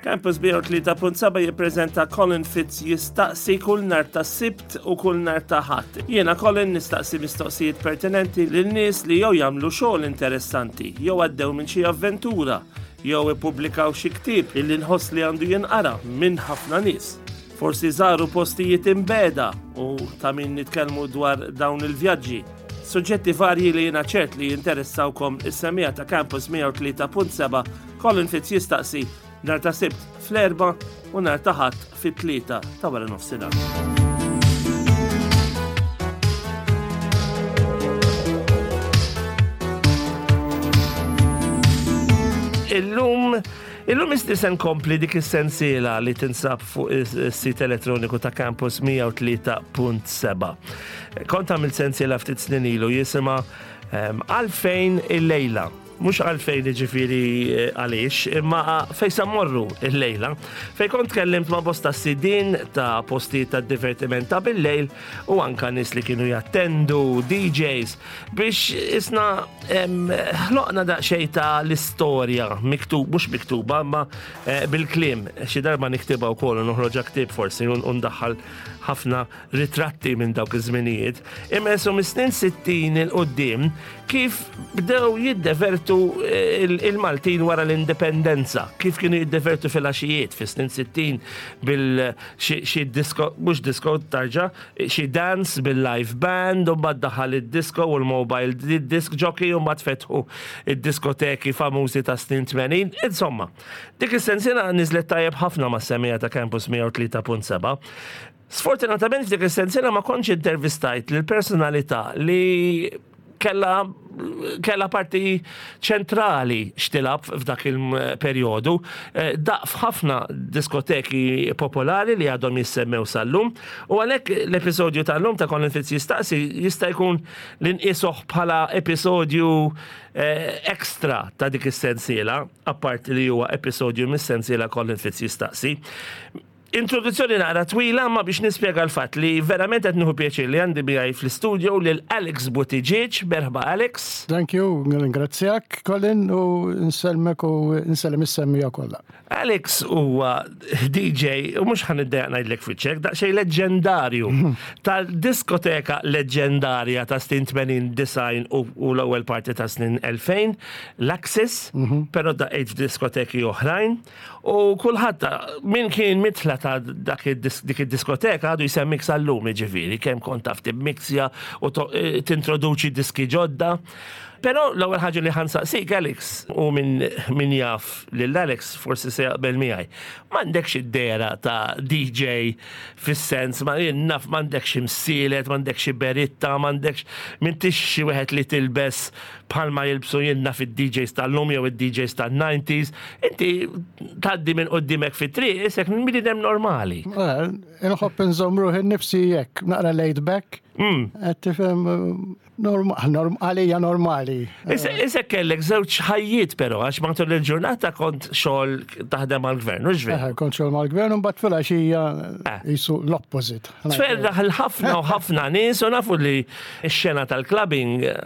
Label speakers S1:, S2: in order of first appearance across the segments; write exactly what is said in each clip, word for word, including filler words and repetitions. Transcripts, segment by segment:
S1: Campus mija u tlieta punt seba' jippreżenta Colin Fitz Jistaqsi kull nhar ta' Sibt u kull nhar ta' Ħadd. Jiena Colin nistaqsi mistoqsijiet pertinenti lil nies li jew jagħmlu xogħol interessanti, jew għaddew minn xi avventura, jew ippubblikaw xi ktieb illi nħoss li għandu jinqara minn ħafna nies. Forsi żaru postijiet imbiegħda u ta' min nitkellmu dwar dawn il-vjaġġi. Suġġetti varji li jiena ċert li jinteressawkom is-semmiegħa ta' Campus mija u tlieta punt seba'. Colin Fitz Jistaqsi nhar ta' Sibt fl-erba u nhar ta' Ħadd fit-tlieta ta' wara nofsinhar. Illum Illum isti se nkompli dik is-sensiela li tinsab fuq is-sit elettroniku ta' Campus mija u tlieta punt seba'. Kont għamilt sensiela ftit snin ilu jisimha ehm, "Għalfejn il-lejla". Mhux għalfejn ġifieri eh, għaliex, imma fejn sa mmorru il-lejla. Fejn kont tkellimt ma' bosta sidin ta' postijiet ta' divertiment ta' bil-lejl u anka nies li kienu jattendu, D Js, biex isna em, ħloqna daqsxejn ta' l-istorja, miktub, mhux miktuba, ma eh, bil-kliem. Xi darba niktibha wkoll u noħroġha ktieb forsi u ndaħħal ħafna ritratti minn dawk iż-żminijiet. Imma jessu mis-snin sittin 'il quddiem kif bdew jiddevertu il- il-Maltin wara l-indipendenza, kif kienu jiddevertu fil-għaxijiet fis-snin sittin bil xi xi disco, mhux disco tarġa, xi dance bil-live band, u mbagħad daħal id-disco u l-mobile disc jockey u mbagħad fetħu id-diskoteki famużi ta' snin tmenin. Insomma, dik is-sensiela niżlet tajjeb ħafna mas-semmiegħa ta' Campus mija u tlieta punt seba'. Sfortunatament f'dik is-sensiela ma kontx intervistajt lil personalità li kella kella parti ċentrali x'tilgħab f'dak il-perjodu. Eh, Daqq f'ħafna diskoteki popolari li għadhom jissemmew sal-lum. U għalhekk l-episodju tal-lum ta' Colin Fitz Jistaqsi jista' jkun li nqisuh bħala episodju eh, ekstra ta' dik is-sensiela, apparti li huwa episodju mis-sensiela Colin Fitz Jistaqsi. Introduzzjoni naqra twila ma biex nispjega l-fatt li verament qed nieħu pjaċir li għandi miegħi fl-istudio lil Alex Buttigieg. Merħba, Alex.
S2: Thank you, ringrazzjak, Colin, u nsellmek u nsellem is-semmiegħa kollha.
S1: Alex huwa D J, u mhux ħa niddejjaq ngħidlek fiċċek, daqsxejn leġendarju tal-diskoteka leġendarja ta' snin tmenin, disgħin u u l-ewwel parti ta' snin elfejn, l-Axis, però daqqejt f'diskoteki oħrajn u kulħadd min kien mitla ta' dak id-dis- dik id-diskoteka għadu jsemmik sal-lum, ġifieri, kemm kont taf timmixja u to- eh, tintroduċi diski ġodda. Però l-ewwel ħaġa li ħa nsaqsik, Alex, u min, min jaf lil Alex forsi se jaqbel miegħi. M'għandekx id-dehra ta' D J fis-sens, ma jien naf m'għandekx imsielet, m'għandekx beritta, m'għandekx m'intix xi wieħed li tilbes bħalma jilbsu jien naf id-D Js tal-lum jew id-D Js tan-nineties. Inti tgħaddi minn qudiemek fit-triq isek bniedem normali.
S2: Inħobb nżomm ruħi nnifsi hekk, naqra laid back. Qed tifhem, norma- norm- għalija normali.
S1: Isek kellek żewġ ħajjiet però, għax matul il-ġurnata kont xogħol taħdem għall-gvern, u veru?
S2: Eh, Kont xogħol mal-gvern u mbagħad filgħaxija
S1: Eh.
S2: jisu l-opposite.
S1: Tferraħ l-ħafna u ħafna nies u nafu li x-xena tal-clubbing eh,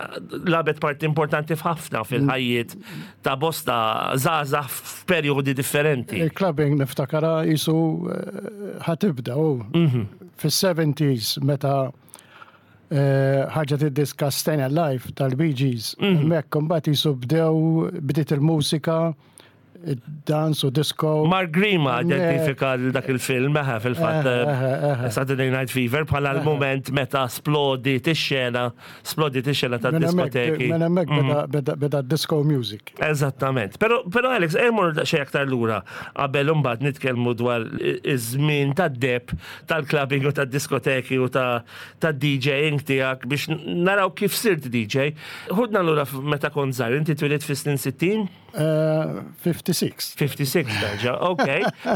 S1: lagħbet parti importanti f'ħafna fil-ħajjiet ta' bosta żgħażagħ f'perjodi differenti.
S2: Il-clubbing niftakara jisu eh, ħa tibda u fis-seventies meta eh, ħarġet id-diska Stayin' Alive tal-Bee Gees. Hemmhekk imbagħad jisu bdew bdiet il-mużika, id-dance u disco.
S1: Mark Grima
S2: Eh,
S1: identifika dak il-film, eħe, fil-fatt,
S2: Eh, eh, eh.
S1: Saturday Night Fever bħala l-moment meta splodiet ix-xena, splodiet ix-xena ta'
S2: Minn hemmhekk-
S1: diskoteki.
S2: Minn hemmhekk beda- beda beda disco music.
S1: Eżattament. Pero, pero Alex, emmur xej aktar lura qabel imbagħad nitkellmu dwar iż-żmien tad-deheb tal-clubbing u tad-diskoteki u ta' tad-D Jing tiegħek biex naraw kif sirt D J. Ħudna lura f- meta kont żgħir, inti twilidt fis-snin sittin?
S2: Eh, fifty-six.
S1: fifty-six darġa, ok.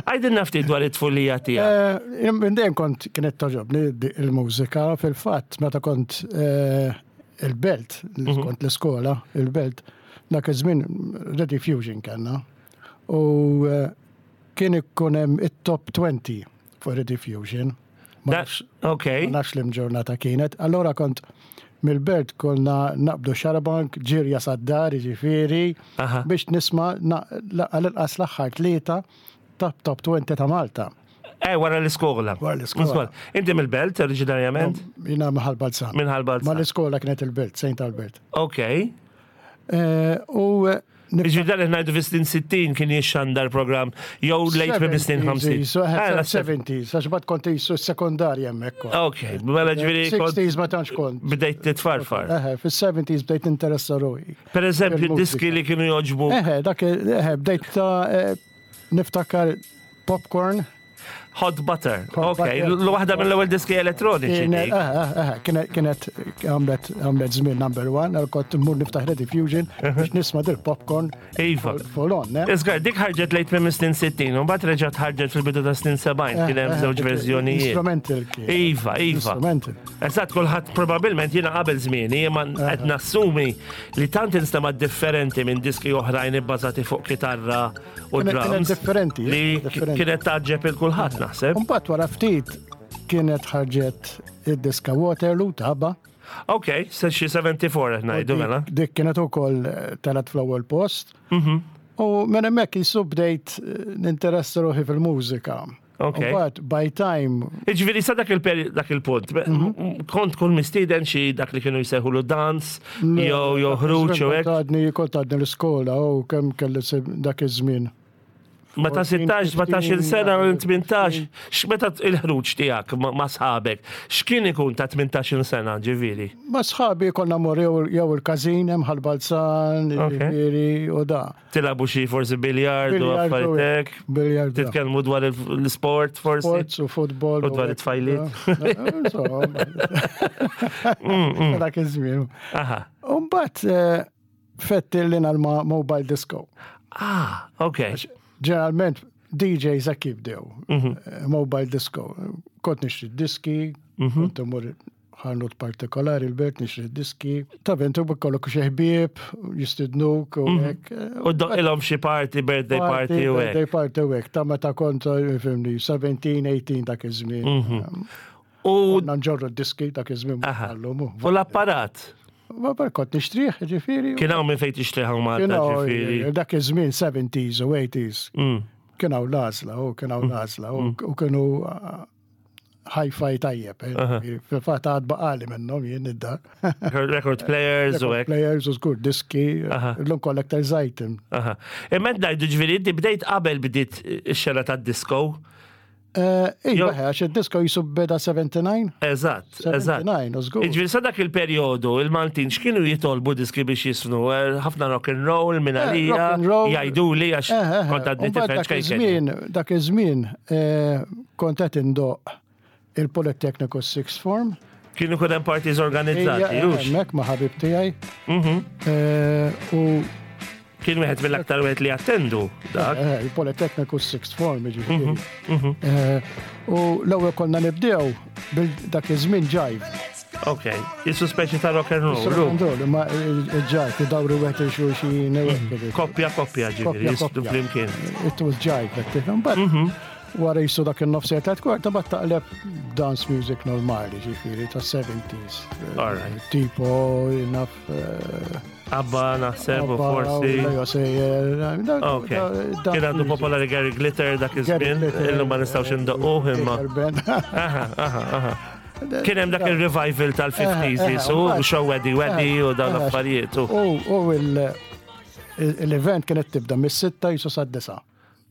S1: Għidilna ftit dwar it-tfulija tiegħek.
S2: Eh, Minn dejjem kont kienet togħġobni di- il-mużika, fil-fatt meta kont eh, il-Belt, kont l-iskola, il-Belt, dak iż-żmien Radio Fusion kellna. U eh, kien ikun hemm it-top twenty fuq Radio Fusion. Ma
S1: Da-
S2: nafx-
S1: Ok.
S2: ma nafx li ġurnata kienet. Allora kont mill-Belt konna naqbdu xarabank, ġirja sad-dar, ġifieri,
S1: Aha.
S2: biex nisma' na- la- għal-inqas l-aħħar tlieta top top twenty ta' Malta.
S1: Eh, wara l-iskola.
S2: Wara l-iskola.
S1: Inti mill-Belt, oriġinarjament?
S2: Jiena minn Ħal Balzan.
S1: Minn Ħal Balzan.
S2: Ma l-iskola kienet il-Belt, Saint Albert.
S1: Ok.
S2: Eh, U eh, nif-
S1: Ġifieri dan ngħidu fis-snin sittin kien jixxandar program jew late fis-snin ħamsin.
S2: seventies, eh, seventies, għax bat kont jisu sekondarja hemmhekk.
S1: Ok, mela ġifieri kont
S2: sixties ma tantx kont.
S1: bdejt titfarfar.
S2: Eħe, fis-seventies bdejt interessa ruħi.
S1: Per eżempju,
S2: Fil-mużika.
S1: diski li kienu joġbu.
S2: Eħe, dak, eħe, bdejt ta' eh, niftakar Popcorn.
S1: Hot Butter.
S2: Hot
S1: Ok,
S2: Butter.
S1: l-waħda mill-ewwel diski elettroniċi.
S2: Kienet,
S1: dik.
S2: eħe, eħe, kienet, kienet għamlet, għamlet żmien number one, għal kont mmur niftaħ Rediffusion biex nisma' dil Popcorn
S1: Iva.
S2: full on, eh?
S1: Iżgar, dik ħarġet late minn snin sittin, u mbagħad reġgħet ħarġet fil-bidu ta' snin sebgħin, kien hemm żewġ verżjonijiet.
S2: Instrumental kien.
S1: Iva, iva.
S2: Instrumental.
S1: Eżatt, kulħadd probabbilment jiena qabel żmieni, imma qed nassumi li tant instema' differenti minn diski oħrajn ibbażati fuq kitarra u
S2: Kienet- kienet
S1: drums.
S2: differenti,
S1: Li
S2: differenti.
S1: kienet taġġeb il kulħadd naħseb.
S2: Mbagħad wara ftit kienet ħarġet id-diska Waterloo ta' ABBA.
S1: Ok, se xi sebgħa u sebgħin qed ngħidu mela.
S2: Dik- Dik kienet ukoll eh, telgħet fl-ewwel post.
S1: Mhm.
S2: U minn hemmhekk jisu bdejt eh, ninteressa ruħi fil-mużika.
S1: Ok.
S2: Mbagħad by time
S1: Iġifieri sa dak il-peri- dak il-punt,
S2: Mhm.
S1: kont kun mistieden xi dak li kienu jsejħulu dance, jew jew ħruġ jew hekk.
S2: Kont għadni kont għadni l-iskola u kemm kelli se- dak iż-żmien.
S1: Ma ta' sittax, sbatax-il sena, tmintax, x'meta il-ħruġ tiegħek ma ma' sħabek, x'kien ikun ta' tmintax-il sena, ġifieri?
S2: Ma sħabi konna mor jew jew il-każin hemm Ħal Balzan,
S1: Ok.
S2: ġifieri u da.
S1: Tilagħbu xi forsi biljard u
S2: Biljard u
S1: affarijiet hekk.
S2: Biljard. da.
S1: Titkellmu dwar il- l-sport forsi.
S2: Sports u futbol.
S1: U dwar it-tfajliet.
S2: Da, insomma. Dak iż-żmien.
S1: Aha.
S2: U mbagħad eh, fettilli ma' mobile disco.
S1: Ah, ok.
S2: Ġeneralment D Js hekk jibdew.
S1: Mhm.
S2: eh, Mobile disco. Kont nixtri diski,
S1: Mhm.
S2: kont imur ħanut partikolari il-Belt nixtri diski. Ta' ventu b'kollok xi ħbieb, jistidnuk u hekk.
S1: U ilhom xi party, birthday party u hekk.
S2: Birthday party u hekk. Ta' meta kont, eh, fimni, sbatax, tmintax dak iż-żmien.
S1: Mhm. U
S2: Konna nġorru diski dak iż-żmien
S1: Aha.
S2: għallum.
S1: U l-apparat.
S2: Ma bar kont nixtrih, ġifieri.
S1: Kien hawn minn fejn tixtrih hawn Malta,
S2: Kien hawn,
S1: ġifieri.
S2: dak iż-żmien seventies u eighties.
S1: Mm.
S2: Kien hawn l-għażla, u kien hawn l-għażla, u u kienu uh, hi-fi tajjeb. eh. Fil-fatt għad baqali minnhom jien id-dar.
S1: Record players u hekk.
S2: Players u żgur diski,
S1: Aha.
S2: l-lum collector's item.
S1: Aha. Imma ngħidu ġifieri inti bdejt qabel bdiet ix-xena tad-disco.
S2: Iva,
S1: Jo-
S2: għax id-disco jisu beda sebgħa u sebgħin?
S1: Eżatt, eżatt.
S2: sebgħa u sebgħin, u żgur.
S1: Ġifieri sa dak il-perjodu, il-Maltin x'kienu jitolbu diski biex jisnu? Eh, Ħafna rock and roll minn
S2: Eh,
S1: għalija,
S2: rock and roll.
S1: jgħidu li għax
S2: Eh, eh, eh.
S1: kont għadni
S2: U mbagħad
S1: tifel
S2: dak
S1: ċkejken.
S2: iż-żmien, dak iż-żmien eh, kont qed indoq il-Polytechnical Sixth Form.
S1: Kienu kun hemm parties organizzati,
S2: Ejja,
S1: hux?
S2: Hemmhekk ma' ħabib tiegħi.
S1: Mhm.
S2: Eh, U
S1: Kien wieħed mill-aktar wieħed li attendu dak.
S2: eh, il-Polytechnical Sixth Form, ġifieri.
S1: Mhm,
S2: Eh, U l-ewwel konna nibdew bil dak iż-żmien jive.
S1: Ok, jisu speċi ta' rock and roll.
S2: Rock and roll, imma il-jive, idawru wieħed il-xulxin. u hekk.
S1: Koppja koppja ġifieri,
S2: Koppja,
S1: jisdu
S2: koppja.
S1: flimkien.
S2: It was jive, qed tifhem. But wara jisu dak il-nofs tliet kwarta bat taqleb dance music normali, ġifieri, ta' seventies.
S1: All right.
S2: Tipo, naf. eh,
S1: ABBA naħseb u
S2: ABBA,
S1: forsi.
S2: Leo Sayer, da-
S1: Ok.
S2: da- da-
S1: Kien għandu popolari Gary Glitter dak iż-żmien,
S2: Glitter,
S1: illum ma nistgħux indoqquh imma.
S2: Peter Ben.
S1: Aha, aha, aha. Kien hemm dak il-revival tal-fifties
S2: Eh, eh,
S1: jisu,
S2: mbagħad-
S1: show Weddy Weddy u dawn
S2: Eh,
S1: l-affarijiet. u-
S2: U u il- l-event kienet tibda mis-sitta jisu sad-disa.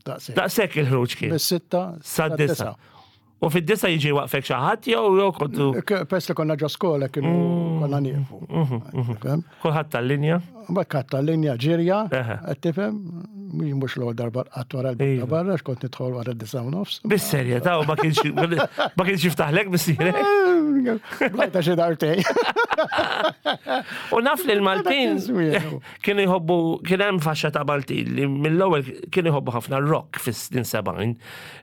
S2: Daqshekk.
S1: Daqshekk il-ħruġ kien.
S2: Mis-sitta
S1: Sad-disa. U fid-disa jiġi waqfek xi ħadd jew jew kontu
S2: K- Pers li konna ġo skola kienu
S1: Mm.
S2: konna nieqfu.
S1: Mhm,
S2: Tifhem?
S1: kulħadd tal-linja?
S2: Mbagħad katta linja ġirja,
S1: Eħe.
S2: qed tifhem, mhux mhux l-ewwel darba qatt wara
S1: Iva.
S2: l barra x'kont nidħol wara d-disa u nofs.
S1: Bis-serjetà u ma kienx ma kienx jiftaħlek missierek.
S2: Blajta xi dartej.
S1: U naf li l-Maltin
S2: Dak iż-żmien.
S1: kienu jħobbu, kien hemm faxxa ta' Maltin li mill-ewwel kienu jħobbu ħafna rock fis-snin sebgħin,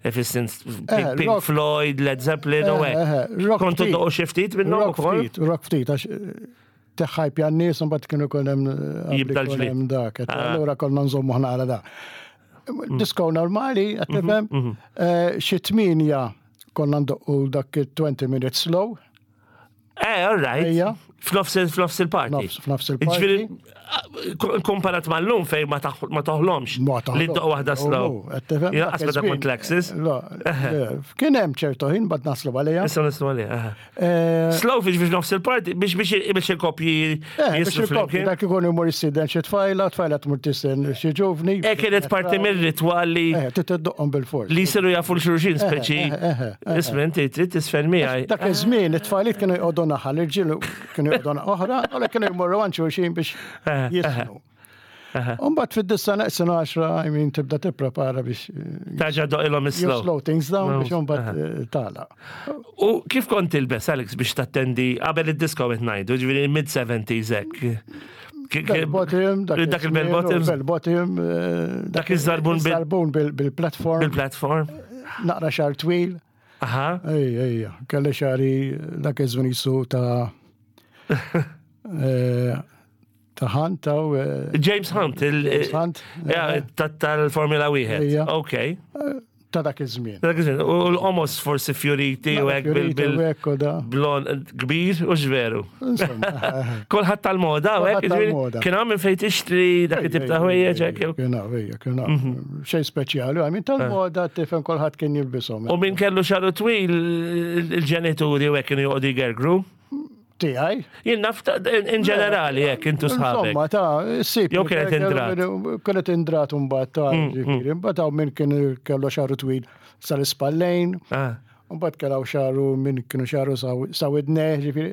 S1: eh, fis-snin
S2: Eh,
S1: Pink
S2: rock.
S1: Floyd, Led Zeppelin u
S2: Eh, eh,
S1: hekk.
S2: rock
S1: Kontu
S2: ftit.
S1: doqgħu xi ftit minnhom
S2: Rock
S1: ukoll?
S2: ftit, rock ftit, għax eh, teħħajp jan-nies, mbagħad kienu jkun hemm eh,
S1: Jibda
S2: qabel
S1: l-ġlied.
S2: jkun hemm dak.
S1: Ah.
S2: Allura konna nżommu ħna għala da. Disco normali, qed
S1: Mhm,
S2: tifhem, eh, xi tminja konna ndoqqu dak il-twenty minutes slow.
S1: Eh, all right.
S2: Ejja.
S1: F'nofs f'nofs il-party.
S2: Nofs- F'nofs il-party.
S1: Ġifieri, komparat mal-lum fejn ma taħ- ma toħlomx
S2: Ma
S1: li ddoq waħda slow. Jien qas meta kont Lexus.
S2: Kien hemm ċertu ħin bad naslu għalija.
S1: Issa nislu għalija. aha.
S2: Eh,
S1: Slow biex biex nofs il-party, biex biex biex il-kopji
S2: Eh, biex
S1: jislu
S2: il-koppji,
S1: flimkien.
S2: dak ikun imur jistieden xi tfajla, tfajla tmur tistieden xi ġuvni.
S1: E kienet parti mir-ritwal li
S2: Eh, titiddoqhom bil-fors.
S1: li jsiru jafu l-xulxin speċi.
S2: eh, eh, eh.
S1: Isma' inti trid tisfen miegħi.
S2: Dak iż-żmien it-tfajliet kienu jqogħdu naħa, l-irġiel kienu jqogħdu naħa oħra, u kienu jmorru għand xulxin biex
S1: Eh,
S2: jisnu. Umbagħad fid-disa neqsin għaxra, I mean, tibda tipprepara biex eh,
S1: Terġa' ddoqqilhom
S2: you
S1: is-slow.
S2: slow things down biex imbagħad eh, tagħlaq.
S1: U kif kont tilbes, Alex, biex tattendi qabel id-disco qed ngħidu, ġifieri mid-seventies hekk. Ki- ki-
S2: Bell bottom,
S1: Dak il-bell bottoms,
S2: Bell bottom, eh,
S1: Dak iż-żarbun bil-
S2: żarbun bil-platform,
S1: bil-platform.
S2: naqra xagħar twil.
S1: Aha.
S2: Ej, ej, kelli xagħri dak iż-żmien jisu ta' eh, ta' Hunt, taw eh,
S1: James Hunt, il-
S2: James Hunt,
S1: Ja, ta- tal-Formula wieħed.
S2: Ejja.
S1: Ok.
S2: Ta' dak iż-żmien.
S1: Dak iż-żmien. U l-qomos forsi fjoriti u hekk bil-
S2: Fjoriti
S1: bil-
S2: u hekk u da.
S1: blon kbir u xveru.
S2: Insomma,
S1: Kulħadd tal-moda, u hekk,
S2: Kulħadd
S1: ġifieri,
S2: tal-moda.
S1: kien hawn minn fejn tixtri dak it-tip ta' ħwejjeġ hekk. jew-
S2: Kien hawn, ejja, kien hawn. Xejn speċjali, I mean tal-moda tifhem kulħadd kien jilbishom.
S1: U min kellu xagħru twil il-ġenituri u hekk kienu joqogħdu jgergru.
S2: Tiegħi.
S1: Jien naf ta- in in ġenerali hekk intu sħabek.
S2: Insomma, ta' sib.
S1: Jew kienet indrat.
S2: Kienet indrat mbagħad ta' ġifieri. Mbagħad hawn min kien kellu xagħru twil sal-ispallejn.
S1: Ah,
S2: Mbagħad kellhom xagħru min kienu xagħru sa widnejh, ġifieri.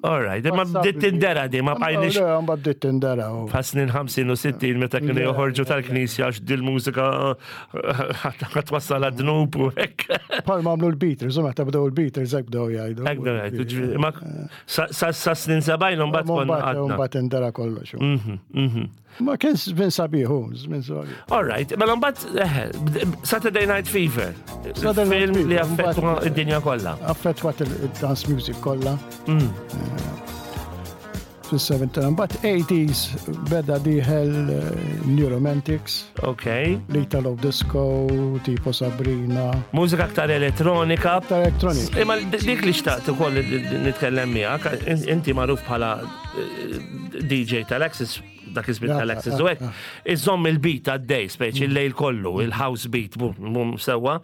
S1: All right, imma bdiet tindera di, ma bqajniex
S2: Le, mbagħad bdiet tindera. u-
S1: bħal snin ħamsin u sittin meta kienu joħorġu tal-knisja għax dil-mużika ħa twassal għad-dnub u hekk.
S2: Bħal ma għamlu l-Beatles, u meta bdew l-Beatles hekk bdew jgħidu.
S1: Hekk bdew jgħidu, ġifieri, ma sa sa- sa snin sebgħin u mbagħad konna
S2: Mbagħad
S1: għadna.
S2: mbagħad indera kollox.
S1: Mhm, mhm.
S2: Ma kien żmien sabiħ, hu, żmien sabiħ.
S1: All right, mela mbagħad eh, Saturday Night Fever.
S2: Saturday Night
S1: Film li
S2: Fever,
S1: affettwa
S2: mbagħad-
S1: id-dinja kollha.
S2: Affettwat il-dance music kollha.
S1: Mm.
S2: Fis-seventies, mbagħad eighties beda dieħel eh, New Romantics,
S1: Ok.
S2: l-Italo Disco, tipo Sabrina,
S1: Mużika aktar elettronika.
S2: aktar elettronik.
S1: Imma dik li xtaqt ukoll li nitkellem miegħek, inti magħruf bħala eh, D J tal-Access, dak iż-żmien
S2: Ja,
S1: tal-Access
S2: ja,
S1: u hekk,
S2: ja.
S1: iżomm il-beat għaddej, speċi il-lejl kollu, il-house beat, bum, bum, sewwa.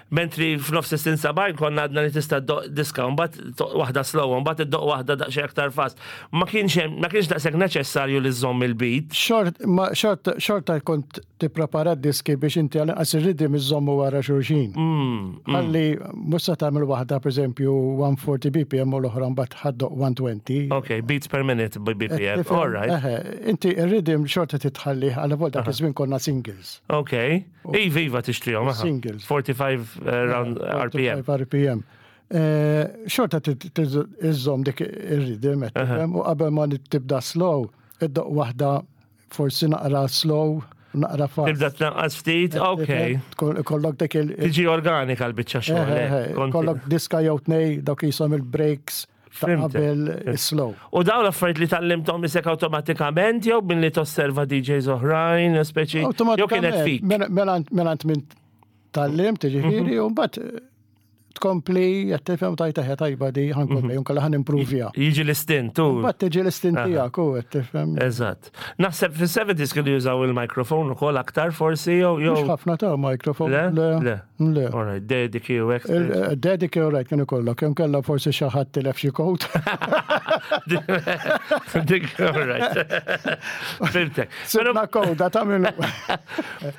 S1: Mentri f'nofs is-snin sebgħin konna għadna li tista' ddoq diska, mbagħad ddoq waħda slow, mbagħad iddoq waħda daqsxejn aktar fast. Ma kienx hemm, ma kienx daqshekk neċessarju li żomm il-beat.
S2: Xort, ma xort, xorta kont tipprepara diski biex inti għal inqas ir-rhythm iżommu wara xulxin.
S1: Mm,
S2: Ħalli mhux se tagħmel waħda pereżempju mija u erbgħin B P M u l-oħra mbagħad ħa ddoq mija u għoxrin.
S1: Ok, beats per minute by B P M.
S2: Tifhem?
S1: All right.
S2: Eħe, inti ir-rhythm xorta titħalli għal vol dak iż-żmien konna singles.
S1: Ok. Iva, iva tixtrihom, aha.
S2: Singles.
S1: forty-five uh, round R P M.
S2: forty-five R P M. Eh, Xorta iżżomm dik ir-rhythm, qed tifhem, u qabel ma tibda slow, iddoq waħda forsi naqra slow, naqra fast.
S1: Tibda tnaqqas ftit, ok.
S2: Tkun- Kollok dik il-
S1: Tiġi organika l-biċċa xogħol.
S2: Eh, eh,
S1: eh, konti-
S2: Kollok diska jew tnej dawk jisom il-breaks ta'
S1: Fhimtek.
S2: qabel is-slow.
S1: U dawn l-affarijiet li tgħallimthom isek awtomatikament jew minn li tosserva D Js oħrajn, speċi jew kienet fik?
S2: Mela mela minn tgħallimt, ġifieri, u mbagħad eh, tkompli, qed tifhem tajta tajba di ħa nkompli, unkella ħa nimprovja.
S1: Jiġi l-istint, tu.
S2: Mbagħad tiġi l-istint tiegħek u qed tifhem.
S1: Eżatt. Naħseb fis-seventies kienu jużaw il-mikrofon ukoll aktar forsi jew
S2: Mhux
S1: jew.
S2: ħafna ta' mikrofon.
S1: Le? Le.
S2: Le.
S1: All right, Dediki u hekk.
S2: Dediki u right kienu kollok, kemm kellha forsi xi ħadd tilef xi kod.
S1: Dik, all right. Fhimtek. Però
S2: Sibna koda ta' minnu.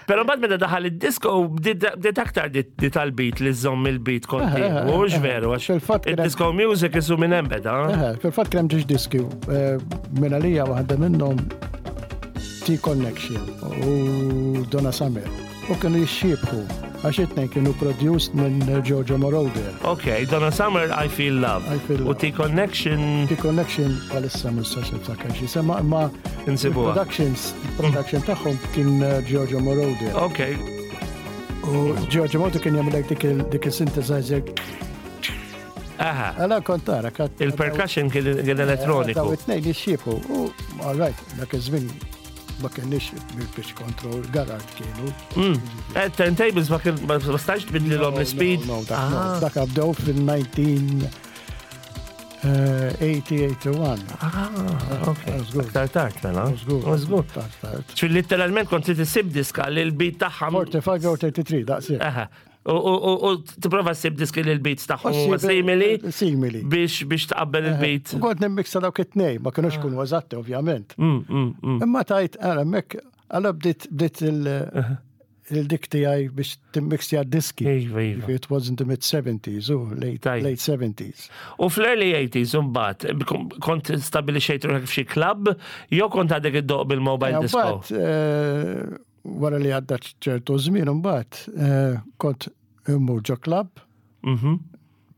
S1: Però mbagħad meta daħal id-disco bdiet bdiet aktar di di tal-beat li żomm il-beat kontinwu, mhux veru, għax
S2: Fil-fatt kien hemm-
S1: id-disco music isu minn hemm beda.
S2: Eħe, fil-fatt kien hemm ġiex diski eh, minn għalija waħda minnhom T-Connection u Donna Summer. U kienu jixxiebħu għax it-tnejn kienu produced minn Giorgio Moroder.
S1: Ok, Donna Summer, I Feel Love.
S2: I Feel
S1: U
S2: Love.
S1: T-Connection
S2: T-Connection bħalissa ma nistax niftakar xi sema ma
S1: Insibuha.
S2: productions production tagħhom kien eh, Giorgio Moroder.
S1: Ok,
S2: U Giorgio Moroder kien jagħmel dik il- dik il-synthesizer.
S1: Aha.
S2: Għala kont tara kat-
S1: Il-percussion kien kien
S2: Daw
S1: elettroniku.
S2: it-tnejn jixxiebħu. U all right, dak iż-żmien ma kienx bil-pitch control, Garrard kienu.
S1: Mm. Eh, Turntables ma kien ma ma stax tbidlilhom l-speed.
S2: No, no, dak no.
S1: Ah.
S2: Dak bdew fil-nineteen Eh, tmenin, wieħed u tmenin.
S1: Ah, ok.
S2: Żgur.
S1: Aktar tard, mela.
S2: Żgur.
S1: Żgur.
S2: Tard, tard.
S1: Ċi literalment kont trid issib diska li l-beat tagħha.
S2: tletin jew tlieta u tletin, daqshekk.
S1: Aha. U- U u- u tipprova ssib diski li l-beats tagħhom huma simili
S2: Simili.
S1: biex biex taqabbel il-beat.
S2: U kont nimmixa dawk it-tnejn, ma kienux kunu eżatti ovvjament.
S1: Mm, mm, mm.
S2: Imma tajt, għara, mek, għala bdiet bdiet il- il-dik tiegħi biex timmixja diski.
S1: Iva, iva.
S2: It was in the mid seventies, u late,
S1: Tajjeb.
S2: late seventies.
S1: U fl-early eighties, mbagħad, kont stabilixxejt ruħek f'xi club, jew kont għadek iddoqq bil-mobile disco?
S2: Mbagħad, eh, wara li għadda ċertu żmien, mbagħad eh, kont immur ġo club,
S1: Mhm.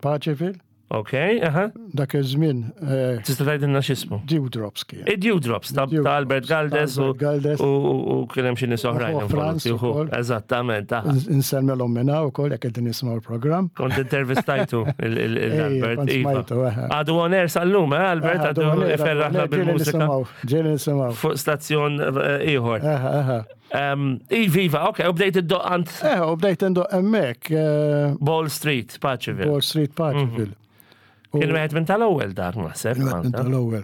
S2: Paceville,
S1: Ok, aha.
S2: dak iż-żmien eh,
S1: Tista' tgħidilna x'ismu?
S2: Dewdrops kien.
S1: Id-Dewdrops ta' ta' Albert Galdes u
S2: Albert Galdes.
S1: u u- u kien hemm xi nies oħrajn
S2: U Franz
S1: involuti, uħu.
S2: ukoll.
S1: Eżattament, aha.
S2: Insellmilhom minna u koll jekk qegħdin nismaw il-programm.
S1: Kont intervistajtu
S2: Ej,
S1: il-Albert.
S2: kont
S1: Iva.
S2: smajtu, eħe.
S1: Għadu on air sal-lum, eh, Albert, għadu iferraħna bil-mużika
S2: Ġieli nisimgħu.
S1: fuq stazzjon eh, ieħor.
S2: Eħe, eħe.
S1: Em, Iva, iva, ok, u bdejt iddoqq għand
S2: Eh, u bdejt indoqq hemmhekk, eh,
S1: Ball Street, Paceville.
S2: Wall Street, Paceville. U-
S1: Kien wieħed minn tal-ewwel dak naħseb.
S2: Kien wieħed minn
S1: Malta.
S2: tal-ewwel.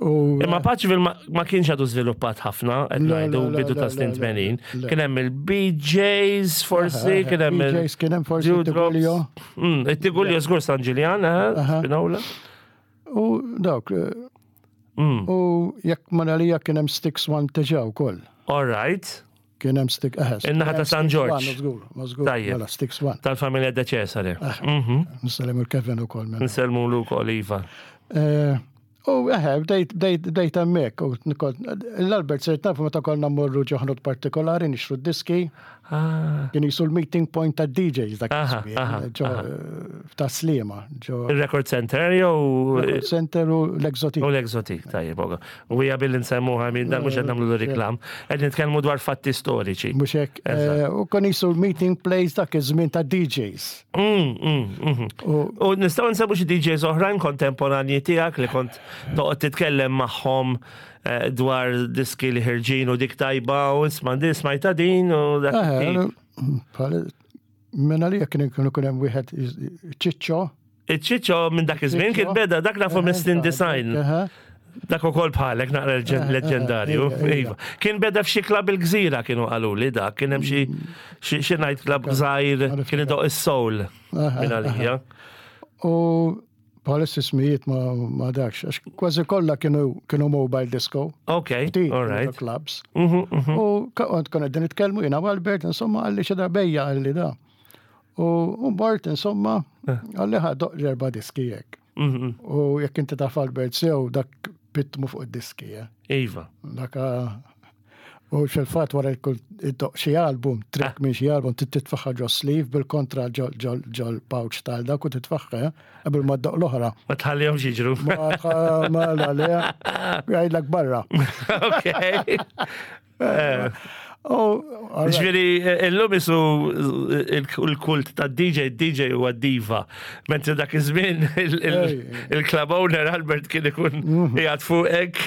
S2: U
S1: Imma Paceville ma, ma kienx għadu żviluppat ħafna, qed
S2: Le,
S1: ngħidu
S2: le, le,
S1: bidu
S2: le,
S1: ta' snin
S2: le,
S1: tmenin.
S2: le.
S1: Kien hemm il-B Js forsi, kien hemm il-
S2: B Js kien hemm forsi
S1: Dewdrops.
S2: Tigulio.
S1: Mm, it-Tigulio żgur San Ġiljan, eh,
S2: Aha.
S1: Spinola.
S2: U dawk, eh,
S1: Mm.
S2: u jekk ma nalija kien hemm Sticks One diġà wkoll.
S1: All right.
S2: Kien hemm Stick, eħe.
S1: In-naħa ta' San
S2: Sticks
S1: Ġorġ.
S2: One, żgur, ma żgur.
S1: Tajjeb.
S2: Mela, Sticks One.
S1: Tal-familja De Cesare. Mhm.
S2: Nsellem il-Kevin ukoll minn.
S1: Nsellmu lu wkoll, iva.
S2: Eh, U eħe, bdejt bdejt bdejt hemmhekk u nikol- l-Albert sirt nafu meta konna mmorru ġo ħanut partikolari nixtru d-diski,
S1: Ah,
S2: kien jisu l-meeting point ta' D Js dak
S1: Aha,
S2: iż-żmien,
S1: aha,
S2: ġo eh, ta' Sliema, ġo
S1: il-Record Center jew
S2: Record Center u l-Exotic.
S1: U l-Exotic, tajjeb, oga. U hija billi nsemmuha minn dan mhux qed nagħmlu reklam, qed nitkellmu dwar fatti storiċi.
S2: Mhux hekk, eh, u kon jisu l-meeting place dak iż-żmien ta' D Js.
S1: Mm, mm, mhm.
S2: U
S1: U nistgħu nsemmu xi D Js oħrajn kontemporanji tiegħek li kont toqgħod titkellem magħhom eh, dwar diski li ħirġin u dik tajba u isma' din smajta din u dak
S2: Eh,
S1: it-tip.
S2: bħal- Minn għalija kien kienu kien hemm wieħed Ċiċċo.
S1: Iċ-Ċiċċo minn dak iż-żmien kien beda dak nafu minn design.
S2: Eħe.
S1: Dak ukoll bħalek naqra leġendarju.
S2: Iva, iva.
S1: Iva. Kien beda f'xi club il-Gżira kienu qaluli dak, kien hemm xi xi xi night club żgħir kien idoq is-soul minn għalija.
S2: U bħalissa ismijiet ma, ma dakx, għax kważi kollha kienu kienu mobile disco.
S1: Ok,
S2: Ftit
S1: all
S2: kienu
S1: right.
S2: clubs.
S1: Mhm, mhm.
S2: U kont konna qegħdin nitkellmu jiena u Albert, insomma, qalli xi darbejja qalli da. U u mort, insomma, qalli ħa doqq erba' diski jekk.
S1: Mhm.
S2: U jekk inti taf Albert sew dak pitmu fuq id-diski, eh.
S1: Iva.
S2: Dak u fil-fatt wara jkun iddoqq xi album, track minn xi album, titfaħħa ġo sleeve bil-kontra ġo ġo pouch tal dak u titfaħħa, eh, qabel ma ddoqq l-oħra.
S1: Ma tħallihomx jiġru.
S2: Ma ma la le, jgħidlek barra.
S1: Ok. Eh,
S2: U
S1: Ġifieri, illum isu il-kult ta' D J, D J huwa diva. Mentri dak iż-żmien il-club owner Albert kien ikun qiegħed fuqek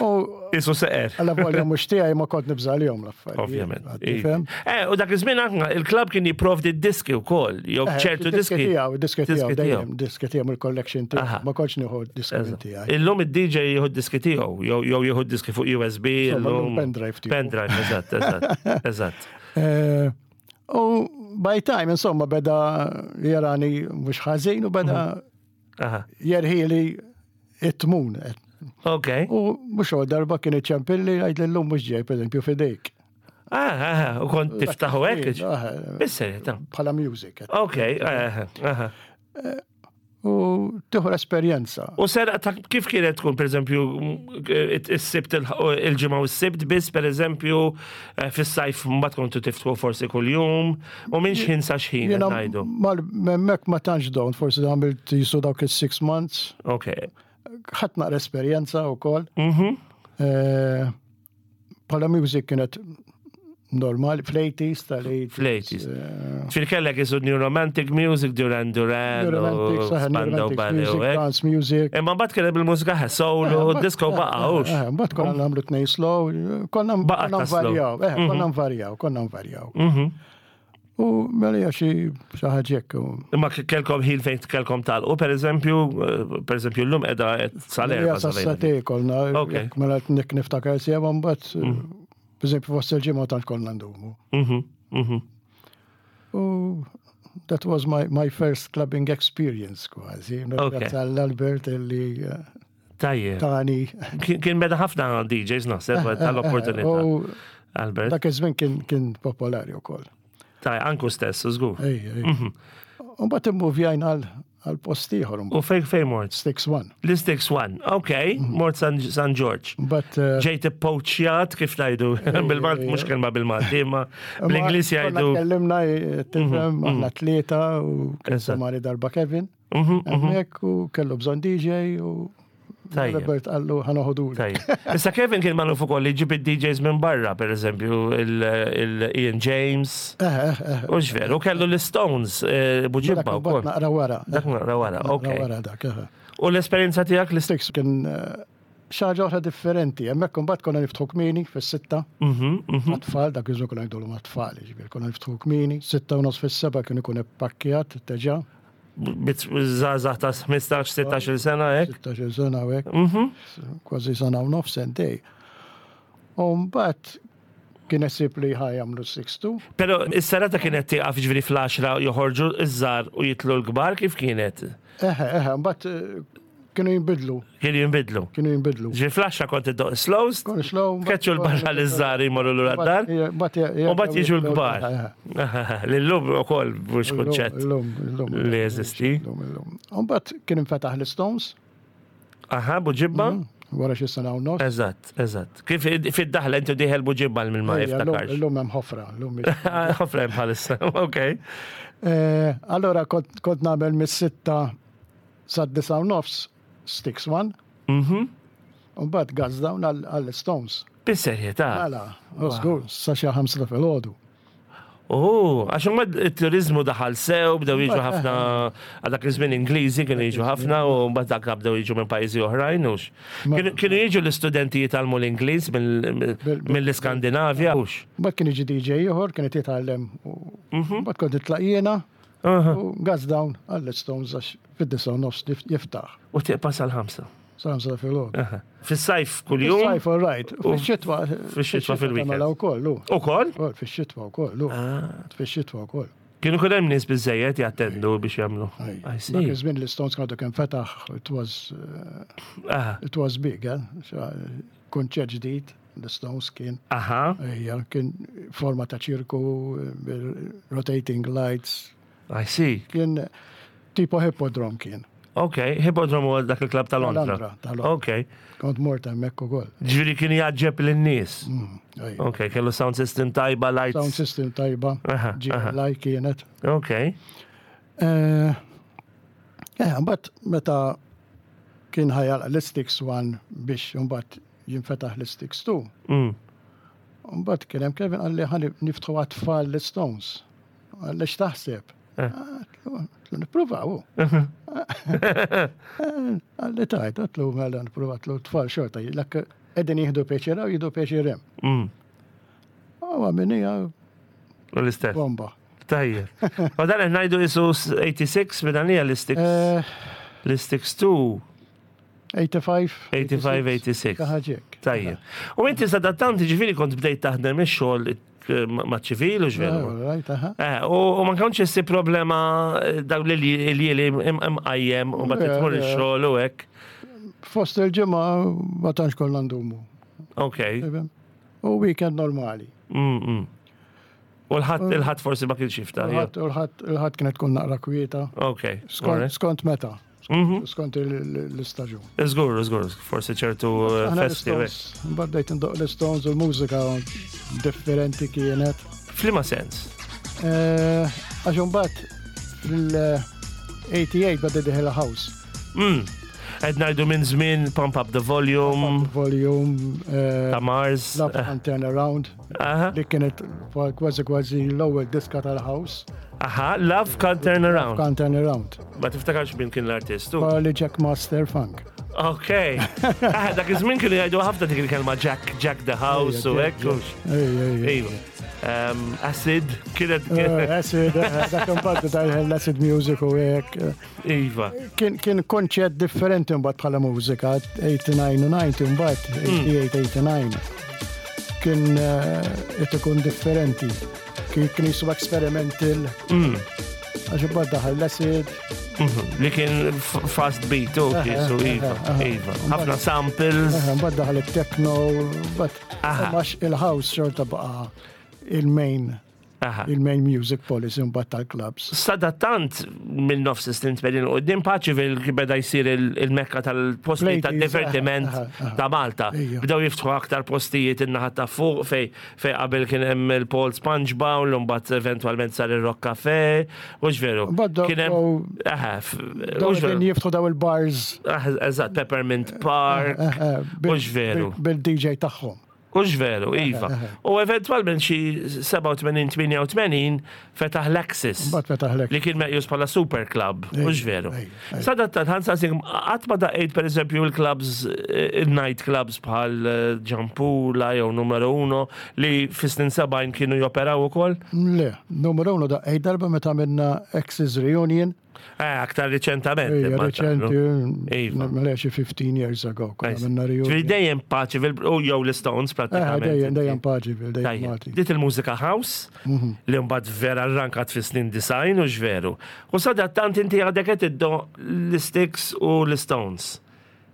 S2: u
S1: isu seqer.
S2: għalla volja mhux tiegħi ma kont nibża' għalihom l-affarijiet.
S1: Ovvjament.
S2: Tifhem?
S1: Eh, u dak iż-żmien anke il-club kien jipprovdi diski wkoll, jew
S2: Eh,
S1: ċertu diski.
S2: Tiegħu, diski tiegħu,
S1: Diski tiegħu.
S2: dejjem, diski tiegħu mill-collection tiegħu.
S1: Aha.
S2: Ma kontx nieħu diski minn tiegħi.
S1: Illum id-D J jieħu diski tiegħu, jew jew jieħu diski fuq U S B.
S2: Insomma,
S1: illum-
S2: pendrive tiegħu.
S1: Pendrive, eżatt, eżatt, eżatt.
S2: Eh, U by time, insomma, beda jarani mhux ħażin u beda
S1: Aha.
S2: jerħili it-tmun.
S1: Ok.
S2: U mhux għol darba kien iċempilli għajd l-lum mhux ġej, per eżempju, fidejk.
S1: Ah, ah, u kont tiftaħu hekk?
S2: Ah,
S1: Bis-serjetà.
S2: Bħala music.
S1: Ok, eh, aha.
S2: U tieħu l-esperjenza.
S1: U sera ta' kif kienet tkun, per eżempju, is-Sibt il-Ġimgħa u s-Sibt biss, per eżempju, eh, fis-sajf mbagħad kontu tiftħu forsi kuljum, u minn xħin sa xħin qed
S2: Jiena
S1: ngħidu.
S2: mal-memmek ma tantx dawn, forsi għamilt jisu dawk il-six months,
S1: Ok.
S2: ħadd naqra esperjenza u koll.
S1: Mhm.
S2: Bħala music kienet normali, fl-eighties tal-eighties.
S1: Fl-eighties. Fil kellek isu New Romantic Music, Duran Duran,
S2: New Romantic,
S1: u
S2: saħ, New
S1: Spandau
S2: Romantic
S1: Ballet,
S2: music,
S1: u hekk.
S2: dance music.
S1: Imma mbagħad kien hemm il-mużika soul u disco baqgħux.
S2: Eh, Mbagħad konna nagħmlu tnejn slow, konna
S1: Baqgħet
S2: konna
S1: ta' slow.
S2: nvarjaw, eh, konna nvarjaw, konna nvarjaw.
S1: Mhm.
S2: U mela xi xi ħaġa hekk. u-
S1: Imma kellkom ħin fejn kellkom tagħlqu, per eżempju, eh, per eżempju, llum qiegħda sal-erba.
S2: Ija sas-sagħtejn konna,
S1: Ok.
S2: jekk mela nik niftakar sew, mbagħad, per eżempju, fost il-ġimgħa tant konna ndumu.
S1: Mhm, mhm.
S2: U that was my, my first clubbing experience kważi.
S1: Ok.
S2: Grazzi għall-Albert illi eh,
S1: Tajjeb.
S2: tani.
S1: Kien kien beda ħafna D Js naħseb tal-opportunità.
S2: U
S1: Albert.
S2: dak iż-żmien kien kien popolari wkoll.
S1: Taj, anku stess, żgur.
S2: Ej, ej. U mbagħad immuvjajna għal għal post ieħor
S1: U fejn fejn mort?
S2: Sticks One.
S1: L-Sticks One, ok, mort San, San George.
S2: But uh,
S1: Ġejt poachjat, kif ngħidu, bil-Malti, mhux kelma bil-Malti, imma bl-Ingliż
S2: Konna
S1: jgħidu.
S2: Tkellimna, eh, tifhem, aħna tlieta u
S1: Eżatt.
S2: mari darba Kevin.
S1: Mhm, mhm.
S2: Hemmhekk u kellu bżonn D J u
S1: Tajjeb.
S2: Robert qallu ħa noħodu.
S1: Tajjeb. Issa Kevin kien magħruf ukoll li ġib id-D Js minn barra, per eżempju, il-Ian James.
S2: Eh, eh, eh.
S1: U veru, kellu l-Stones, eh, Buġibba
S2: Dak
S1: u koll.
S2: naqra wara.
S1: Dak naqra wara,
S2: Naqra
S1: ok.
S2: wara dak, eh.
S1: U l-esperjenza tiegħek l
S2: Sticks kien eh, xi ħaġa oħra differenti. Hemmhekk imbagħad konna niftħu kmieni fis-sitta.
S1: Mhm, mhm.
S2: Għat-tfal, dak iż konna ngħidulhom għat-tfal, ġifieri konna niftħu kmieni, sitta u nofs fis-seba kien ikun ippakkjat diġà,
S1: Żgħażagħ ta' ħmistax, sittax-il sena, hekk.
S2: sittax-il sena u hekk,
S1: Mhm.
S2: kważi sena u nofs sentej. U mbagħad kien isib li ħa jagħmlu six two.
S1: Pero is-serata kienet tieqaf ġifieri fl-għaxra, joħorġu iż-żgħar u jitlu l-kbar, kif kienet?
S2: Eħe, eħe, mbagħad eh, kienu jinbidlu,
S1: Kienu jinbidlu.
S2: Kienu jinbidlu.
S1: Ġifieri fl-għaxra kont iddoqq slows,
S2: Kon slow.
S1: tkeċċu l-barra l-żgħar jmorru lura d-dar.
S2: U
S1: U mbagħad jiġu l-kbar. L-lum ukoll mhux kunċett
S2: Illum, illum.
S1: li jeżisti.
S2: Illum, illum. U mbagħad kien infetaħ l-Stones,
S1: Aha, Buġibba?
S2: wara xi sena u nofs.
S1: Eżatt, eżatt. Kif fid-daħla inti dieħel Buġibba minn ma
S2: Ejja, illum-
S1: jiftakarx.
S2: Illum hemm ħofra, illum mhix.
S1: Ħofra hemm bħalissa, ok.
S2: Eh, Allora kont kont nagħmel mis-sitta sad-disa u nofs Sticks One,
S1: Mhm.
S2: u mbagħad gas down għall-Stones.
S1: Bis-serjetà.
S2: Mela, u żgur, sa xi ħamsa filgħodu.
S1: Oh, għax mbagħad it-turizmu daħal sew, bdew jiġu ħafna, għal dak iż-żmien Ingliżi kienu jiġu ħafna u mbagħad dak bdew jiġu minn pajjiżi oħrajn hux. Kienu kienu jiġu l-istudenti jitgħallmu l-Ingliż mill- mill-Iskandinavja hux.
S2: Mbagħad kien jiġi D J ieħor, kien qed jitgħallem u mbagħad kont nitlaq jiena
S1: Aha.
S2: u gas down għall-Stones għax fid-disa u nofs jiftaħ.
S1: U tieqpa sal-ħamsa.
S2: Sa ħamsa filgħodu.
S1: Aha. Fis-sajf kuljum.
S2: Sajf, all right. Fix-xitwa.
S1: Fix-xitwa fil-weekend.
S2: Mela wkoll, lu.
S1: Ukoll?
S2: Ukoll, fix-xitwa wkoll, lu. Fix-xitwa wkoll.
S1: Kienu kun hemm nies biżejjed jattendu biex jagħmlu. I
S2: Dak
S1: see.
S2: iż-żmien l-Stones għadu kemm fetaħ, it was, uh,
S1: Aha.
S2: it was big, eh? Kunċett ġdid, l-Stones kien.
S1: Aha.
S2: Ejja, kien forma ta' ċirku, rotating lights,
S1: I see.
S2: Kien tipo Hippodrome kien.
S1: Ok, Hippodrome huwa dak il-klab ta' Londra.
S2: Londra, ta' Londra.
S1: Ok.
S2: Kont mort hemmhekk ukoll.
S1: Ġifieri kien jgħaġġeb lin-nies.
S2: Mm, ejja.
S1: Ok, kellu sound system tajba, lights.
S2: Sound system tajba,
S1: Aha, aha.
S2: G L I kienet.
S1: Ok.
S2: Eh, eh, mbagħad meta kien ħa jagħlaq l-Sticks One biex mbagħad jinfetaħ l-Sticks Two.
S1: Mm.
S2: Mbagħad kien hemm Kevin qalli ħa niftħu għat-tfal l-Stones. Qalli x'taħseb?
S1: Eh.
S2: Għedtlu nippruvaw. Qalli tajt, għedtlu mela nippruvaw, għedtlu tfal xorta, l qegħdin jieħdu pjaċir u jieħdu pjaċir hemm.
S1: Mm.
S2: Għawa minija
S1: U l-istess.
S2: Bomba.
S1: Tajjeb. Ma dan qed ngħidu isu tmienja u sebgħin minn għalija l-Sticks.
S2: Eh,
S1: L-Sticks two.
S2: tmienja u sebgħin.
S1: tmienja u sebgħin, tmienja u sebgħin.
S2: Ħaġek.
S1: Tajjeb. U inti sadattant ġifieri kont bdejt taħdem ix-xogħol eh, ma' ċivil u x'veru.
S2: Right, aha.
S1: Eh, u u ma kontx issi problema eh, dawn li li li imqajjem u ma
S2: Le,
S1: tmur
S2: le.
S1: ix-xogħol u hekk.
S2: Fost il-ġimgħa ma tantx konna ndumu.
S1: Ok.
S2: U weekend normali.
S1: Mm, mm. U l-ħadd il-ħadd forsi ma kienx jiftaħ. jew?
S2: Il-ħadd il-ħadd il-ħadd kienet tkun naqra kwieta.
S1: Ok.
S2: Skont
S1: alright.
S2: skont meta.
S1: Mhm.
S2: Skont il- l-istaġun.
S1: Żgur, żgur, forsi ċertu eh,
S2: Aħna
S1: festi. u hekk.
S2: l-Stones, mbagħad bdejt indoq l-Stones u l-mużika differenti kienet.
S1: F'liema sens?
S2: Eh, Għax mbagħad fil-tmienja u tmenin beda dieħel house.
S1: Mm. Qed ngħidu minn żmien Pump Up the Volume,
S2: Volume, eh,
S1: ta' Mars.
S2: Love and Turn Around,
S1: Aha,
S2: li kienet kważi kważi l-ewwel diska tal-house.
S1: aha, Love Can't Turn Around.
S2: Can't Turn Around.
S1: Ma tiftakarx min kien l-artist tu?
S2: Li Jack Master Funk.
S1: Ok. Ah, dak iż-żmien kienu jgħidu ħafna dik il-kelma Jack, Jack the House u hekk. hux.
S2: Ej, ej, ej.
S1: Iva. um, acid, kienet.
S2: Eh, acid, eh, dak imbagħad tal-acid music u hekk.
S1: Iva.
S2: Kien kien konċett differenti mbagħad bħala mużika, tmuna u disgħin u disgħin mbagħad, tmienja u sebgħin, tmienja u disgħin. Kien eh, qed ikun differenti. Kien kien jisu experimental.
S1: Mm.
S2: Għax imbagħad daħal l-acid.
S1: Mhm. Li kien f- fast beat, u
S2: Aha,
S1: kisu, iva,
S2: aha, aha.
S1: iva. Ħafna samples.
S2: Eh, Mbagħad daħal it-techno, mbagħad
S1: Aha.
S2: għax il-house xorta baqa' il-main
S1: Aha.
S2: il-main music policy mbagħad tal-clubs.
S1: Sadattant minn nofs is-snin tmenin u din Paceville beda jsir il- il-mekka tal-postijiet
S2: Ladies,
S1: tad-divertiment
S2: aha, aha.
S1: ta' Malta.
S2: Ejja.
S1: Bdew jiftħu aktar postijiet in-naħa ta' fuq fej fej qabel kien hemm il-Paul Sponge Bowl, u mbagħad eventwalment sar ir-Rock Cafe, u veru.
S2: Mbagħad daw-
S1: Kien hemm aha, f-
S2: Daw
S1: hux veru.
S2: qegħdin jiftħu daw il-bars
S1: Ah, Eżatt, Peppermint Park,
S2: eh, eh, bil-
S1: hux veru.
S2: bil- bil-D J tagħhom.
S1: Hux veru, iva. U eventwalment xi sebgħa u tmenin, tmienja u tmenin fetaħ l-Axis.
S2: Mbagħad fetaħ l
S1: Li kien meqjus bħala super club,
S2: Ej,
S1: hux veru.
S2: ej, ej.
S1: Sadattant, ħa nsaqsik, qatt ma daqqejt per eżempju il-clubs, eh, il-night clubs bħal eh, Ġampula jew Numero Uno li fis-snin sebgħin kienu joperaw ukoll?
S2: Le, numero uno daqqejt darba meta minna Axis Reunion.
S1: Eh, aktar riċentament.
S2: Ejja,
S1: imma
S2: reċenti,
S1: Iva.
S2: mela xi fifteen years ago, konna
S1: Nice.
S2: minna
S1: Ġifieri
S2: reunion.
S1: dejjem Paceville, u jew l-Stones
S2: Eh,
S1: pratikament.
S2: dejjem, dejjem Paceville, dejjem
S1: Tajjeb.
S2: Malti.
S1: Dit il-mużika house li mbagħad vera rrankat fis-snin disgħin, hux veru? U sadattant inti għadek qed iddoqq l-Sticks u l-Stones.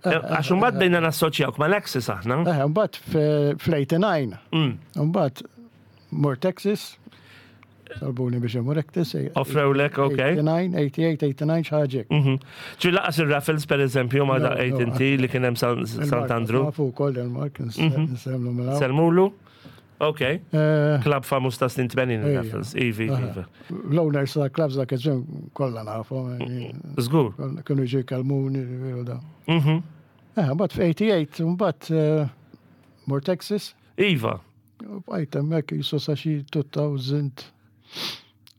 S1: Għax imbagħad bdejna nassoċjawk mal-Axis aħna.
S2: Eh, mbagħad fl-tmienja u disgħin,
S1: Mm.
S2: mbagħad mort Axis, talbuni biex imur Axis. eh,
S1: Offrewlek, ok.
S2: tmienja u disgħin, tmienja u sebgħin, tmienja u disgħin, xi ħaġa.
S1: Mhm. Ġi lanqas il-Raffles per eżempju ma
S2: No,
S1: daqqejt
S2: no,
S1: inti li kien hemm San- Sant'Andru.
S2: Nafu wkoll il-Mark, nsellmu mela.
S1: Sellmulu? Ok.
S2: Eh,
S1: Club famuż ta' snin tmenin
S2: Ejja.
S1: il-Raffles. Ivi, ivi.
S2: L-owners ta' clubs dak iż-żmien kollha nafu,
S1: Żgur.
S2: kienu ġi kalmuni, veru da.
S1: Mhm.
S2: Eh, mbagħad f'tmienja u sebgħin, mbagħad eh, mort Axis,
S1: Iva.
S2: u bqajt hemmhekk jisu sa xi elfejn u tnejn,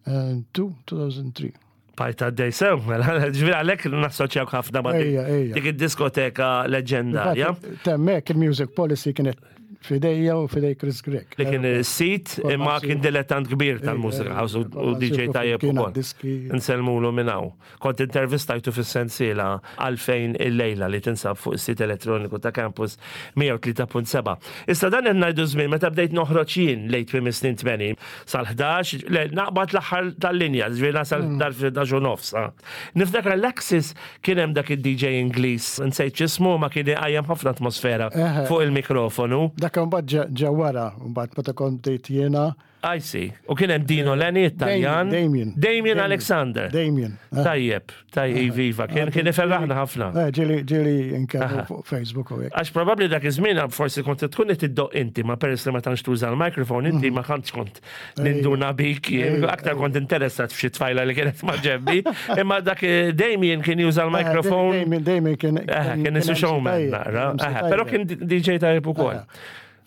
S2: elfejn u tlieta.
S1: Bqajt għaddej sew, mela, ġifieri għalhekk nassoċjawk ħafna ma' dik-
S2: Ejja, ejja.
S1: dik id-diskoteka leġendarja.
S2: Hemmhekk il-music policy kienet f'idejja u f'idej Chris Grech.
S1: Li kien sit imma kien dilettant kbir tal-mużika house u u D J tajjeb
S2: Kien
S1: ukoll.
S2: diski.
S1: Nsellmulu minn hawn. Kont intervistajtu fis-sensiela Għalfejn il-lejla li tinsab fuq is-sit elettroniku ta' Campus mija u tlieta punt sebgħa. Issa dan qed ngħidu żmien meta bdejt noħroġ jien lejn tmiem is-snin tmenin sal-ħdax, le, naqbad l-aħħar tal-linja, ġifieri nasal dar fil-ħdax u nofs. ah. Niftakar l-Axis kien hemm dak id-D J Ingliż, nsejt x'ismu, ma kien iqajjem ħafna atmosfera
S2: Eħe.
S1: fuq il-mikrofonu.
S2: Dak mbagħad ġe- ġe wara, mbagħad meta kont bdejt jiena.
S1: I see. U kien hemm Dino Lenny, Italjan.
S2: Damien.
S1: Damien Alexander.
S2: Damien. Eh,
S1: Tajjeb, tajjeb, iva, kien kien iferraħna ħafna.
S2: eh, Ġieli ġieli nkellmu fuq Facebook u hekk.
S1: Għax probabli dak iż-żmien forsi kont tkun qed iddoqq inti, ma peress li ma tantx tuża l-mikrofon, inti ma kontx kont ninduna bik, jien aktar kont interessat f'xi tfajla li kienet ma ġebbi, imma dak eh, Damien kien juża l-mikrofon.
S2: Damien, Damien kien.
S1: Eh, kien isu
S2: M C
S1: showman
S2: tajjeb,
S1: naqra.
S2: M C
S1: Eh, Però
S2: tajjeb.
S1: kien D J tajjeb ukoll.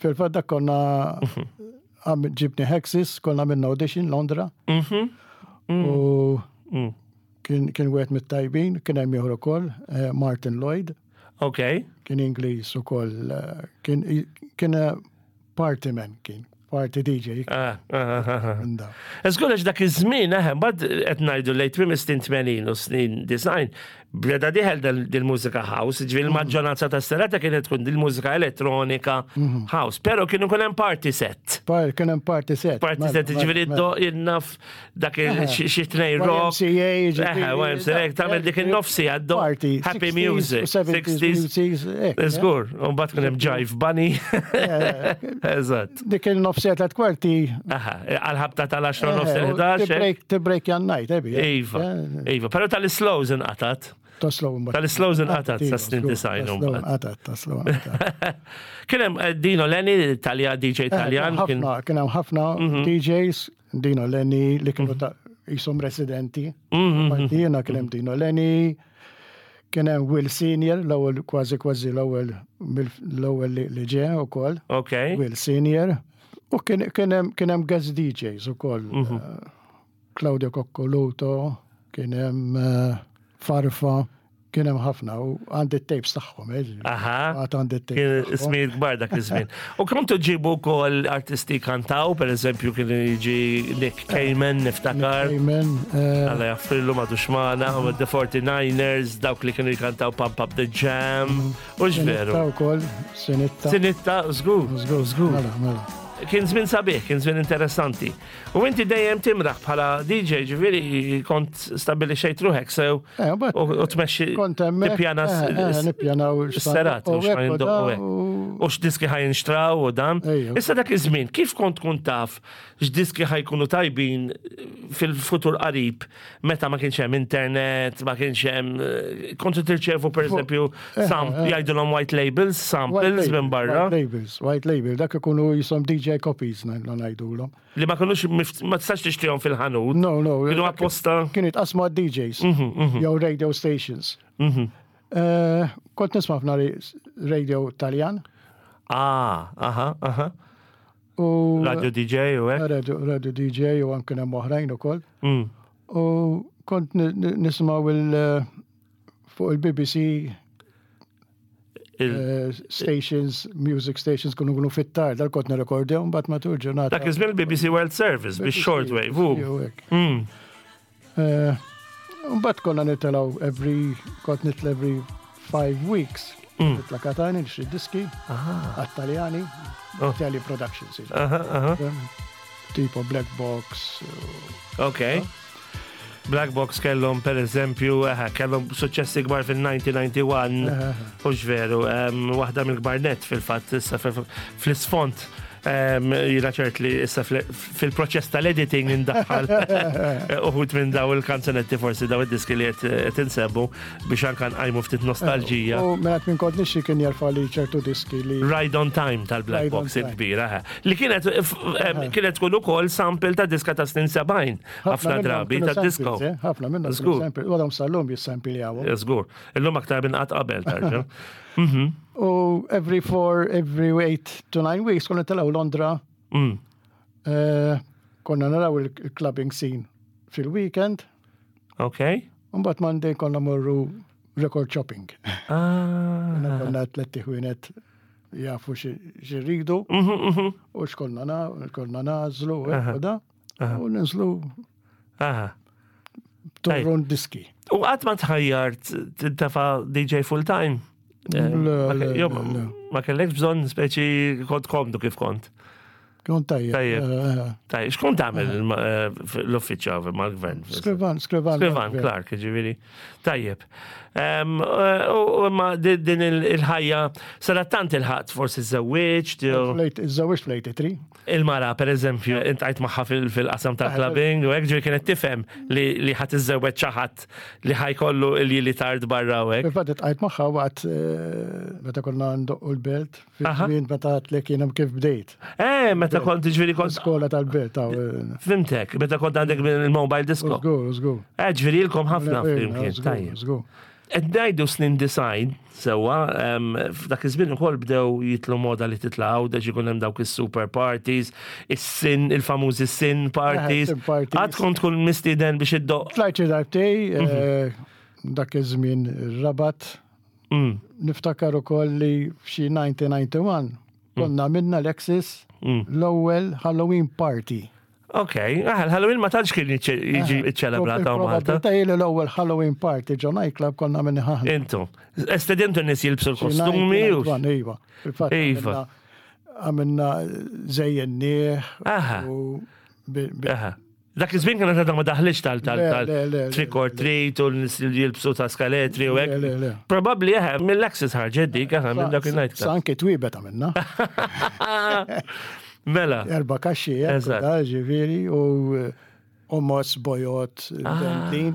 S2: Fil-fatt dak konna għam ġibni Hexis, konna minna audition Londra.
S1: Mhm.
S2: U
S1: Mm.
S2: kien kien wieħed mit-tajbin, kien hemm ieħor ukoll, eh, Martin Lloyd,
S1: Ok.
S2: kien Ingliż ukoll, eh, kien kien eh, party man kien, party D J.
S1: Ah, ah, ah, ah.
S2: minn da.
S1: Żgur għax dak iż-żmien, eħe, mbagħad qed ngħidu lejn tmiem is-snin tmenin u snin disgħin, beda dieħel dil-mużika house, ġifieri l-maġġoranza tas-serata kienet tkun dil-mużika elettronika house, però kienu kun hemm party set.
S2: Par, kien hemm party set.
S1: Party
S2: mela,
S1: set, ġifieri
S2: mela,
S1: do jinnaf dak il- xi xi tnej rock.
S2: Y M C A,
S1: Eħe, Y M C A, tagħmel dik in-nofsi għaddu.
S2: Party.
S1: Happy
S2: sixties
S1: music.
S2: u seventies
S1: sixties.
S2: music, hekk, eh.
S1: Żgur, u mbagħad kien hemm Jive Bunny. Eżatt.
S2: Dik il-nofsi tliet kwarti.
S1: Aha, għal-ħabta tal-għaxra nofs
S2: eh,
S1: il-ħdax.
S2: Tibreak tibreak jan-night, ebi. eh.
S1: Iva, iva, pero tal-slows inqatat.
S2: Ta' slow mbagħad.
S1: Tal-slows inqatat sa snin disgħin
S2: Ta'
S1: mbagħad.
S2: Qatat, ta' slow inqatat.
S1: Kien hemm eh, Dino Lenny, Talja D J Taljan, kien
S2: Ħafna, kien hemm ħafna D Js, Dino Lenny, li kienu ta' jisom residenti. Parti jiena kien hemm Dino Lenny, kien hemm Will Senior, l-ewwel kważi kważi l-ewwel mill- l-ewwel li- li ġie ukoll.
S1: Ok.
S2: Will Senior. U kien kien hemm kien hemm guest D Js ukoll. Eh, Claudio Coccoluto, kien hemm eh, Farfa, Kien hemm ħafna u għandi tapes tagħhom, eh.
S1: Aha.
S2: Għad għandi tapes.
S1: Kien
S2: tagħhom.
S1: ismijiet kbar dak iż-żmien. U kontu ġibu wkoll artisti kantaw, per eżempju kien jiġi Nick Cayman, niftakar.
S2: Amen. eh,
S1: Alla jaffrillu ma duxmana, u The forty-niners, dawk li kienu jkantaw Pump Up the Jam. U veru.
S2: Sinitta wkoll, Sinitta.
S1: Sinitta, żgur,
S2: Żgur,
S1: żgur.
S2: Mela, mela.
S1: Kien żmien sabiħ, kien żmien interessanti. U inti dejjem timraħ bħala D J, ġifieri kont stabilixejt ruħek sew
S2: Eh, u
S1: u u tmexxi
S2: Kont hemmhekk.
S1: tippjana
S2: eh, eh, Nippjanaw
S1: s-serati u x'ma jindoqqu hekk. U x'diski ħa jinxtraw u dan.
S2: Ejju.
S1: Issa dak iż-żmien, kif kont tkun taf x'diski ħa jkunu tajbin fil-futur qarib meta ma kienx hemm internet, ma kienx hemm eh, kontu tirċevu, pereżempju, sam
S2: eh.
S1: jgħidulhom white labels, samples minn barra
S2: White labels, white label, dak ikunu jisom D J copies ngħidulhom.
S1: Li ma kinux mift- ma tistax tixtrihom fil-ħanut.
S2: No, no.
S1: Kienu apposta.
S2: Kienu jitqasmu għad-D Js,
S1: Mhm,
S2: jew radio stations. Eh, Kont nisma' ħafna radio Taljan
S1: Ah, aha, aha.
S2: u
S1: Radio D J u hekk.
S2: Radio, radio D J u anke hemm oħrajn ukoll.
S1: Mm.
S2: U kont ni- ni- nismaw il- fuq il-B B C
S1: Il-
S2: eh, stations, music stations kunu kunu fit-tard, dal kont nirrekordjaw mbagħad matul ġurnata.
S1: Dak iż-żmien il-B B C World Service bix-shortwave. u.
S2: Jew hekk.
S1: Mm.
S2: Eh, Mbagħad konna nitilgħu every, kont nitla every five weeks.
S1: Mm.
S2: Nitla Katani, nixtri diski, għat-Taljani,
S1: Oh.
S2: Italian Productions.
S1: Aha, aha.
S2: Tipo Black Box.
S1: Ok. Black Box kellhom, per eżempju, eħe, kellhom suċċessi kbar fil-elf disa' mija u wieħed u disgħin, hux veru, em, waħda mill-kbar net fil-fatt issa fil- fl-isfond. em, Jiena ċert li issa fil- fil-proċess tal-editing indaħħal uħud minn daw il-kanzunetti, forsi daw id-diski li qed insemmu biex anka nqajmu ftit nostalġija.
S2: U mela minn kont nixtri kien jarfa li ċertu diski li.
S1: Ride on Time tal-Black
S2: Ride on
S1: Box
S2: Time.
S1: il-kbira, eħe. Li kienet f- em, kienet tkun ukoll sample ta' diska ta' snin sebgħin ħafna
S2: minnhom
S1: drabi
S2: kienu
S1: ta' disco.
S2: samples, eh, Ħafna minnhom kienu
S1: Żgur.
S2: samples. U għadhom sal-lum jissampiljawhom.
S1: Żgur. Illum aktar minn qatt qabel tarġa.
S2: U every four, every eight to nine weeks konna telgħu Londra.
S1: Mm.
S2: eh, Konna naraw il-clubbing scene fil-weekend.
S1: Ok.
S2: Mbagħad Monday konna morru record shopping.
S1: Ah.
S2: Konna tletti ħwienet jafu xirridu
S1: Mhm, mhm.
S2: u x'konna na, konna nażlu u hekk u da. U ninżlu
S1: Aha.
S2: torrun diski.
S1: U qatt ma tħajjart tintefa D J full time? Eh,
S2: Le,
S1: ma ke-
S2: le,
S1: jo,
S2: le, le.
S1: Ma kellekx bżonn, speċi kont komdu kif kont.
S2: Kont tajjeb.
S1: Tajjeb.
S2: Eh, eh,
S1: Tajjeb, x'kont tagħmel eh, l-uffiċċju mal-gvern?
S2: Skrivan, skrivan.
S1: Skrivan, Clark, ġifieri. Tajjeb. Em, eh, U u ma di- din il- il-ħajja, sadattant il-ħadd forsi żewwiġt, jew-
S2: Iżżewwiġt fl-tmienja u disgħin.
S1: Il-mara, per eżempju, iltqajt magħha fil- fil-qasam tal-clubbing, u hekk, ġifieri kienet tifhem li li ħa tiżżewweġ xi ħadd li ħa jkollu il-li tard barra u hekk.
S2: Fil-fatt iltqajt magħha waqt eh, meta konna ndoqqu l-belt,
S1: Aha.
S2: fil-żmien meta għedtlek jiena kif bdejt.
S1: Eh, meta kont, ġifieri kont
S2: Skola tal-belt, taw. eh,
S1: Fhimtek, meta kont għandek il-mobile disco.
S2: Żgur, żgur.
S1: Eh, ġifieri ilkom ħafna flimkien,
S2: Żgur,
S1: tajjeb.
S2: żgur.
S1: Qed ngħidu snin disgħin, sewwa, em, f'dak iż-żmien ukoll bdew jitlu moda li titla' Għawdex, ikun hemm dawk is-super parties, is-sin, il-famużi sin parties.
S2: Sin parties.
S1: Għad kont tkun mistieden biex iddoqq?
S2: Tlajt xi darbtej,
S1: Mhm.
S2: eh, dak iż-żmien Rabat.
S1: Mm,
S2: Niftakar ukoll li f'xi elf disa' mija u wieħed u disgħin konna minna l-Axis
S1: Mm.
S2: l-ewwel Halloween party.
S1: Ok, ah, il-Halloween ma tantx kien jiġi ċċelebrat hawn Malta.
S2: Il-probabilità hi li l-ewwel Halloween party ġo nightclub konna minni ħaħna.
S1: Intu, estedintu n-nies jilbsu l-kostumi u.
S2: Iva, fil-fatt
S1: Iva.
S2: għamilna- għamilna żejjennieh
S1: Aha.
S2: u bi- bi-
S1: Aha. Dak iż-żmien kienet għadha ma daħlitx tal tal
S2: Le,
S1: tal
S2: le, le, le,
S1: trick or treat u n-nies li jilbsu ta' skaletri u
S2: Le,
S1: hekk.
S2: le, le.
S1: Probabbli eħe, mill-Axis ħarġet dik, eħe, minn dak il-night
S2: Sa anke twibet għamilna.
S1: Mela.
S2: Erba kaxxi, hekk,
S1: Eżatt.
S2: da, ġifieri, u omos bojot,
S1: Ah.
S2: dentin.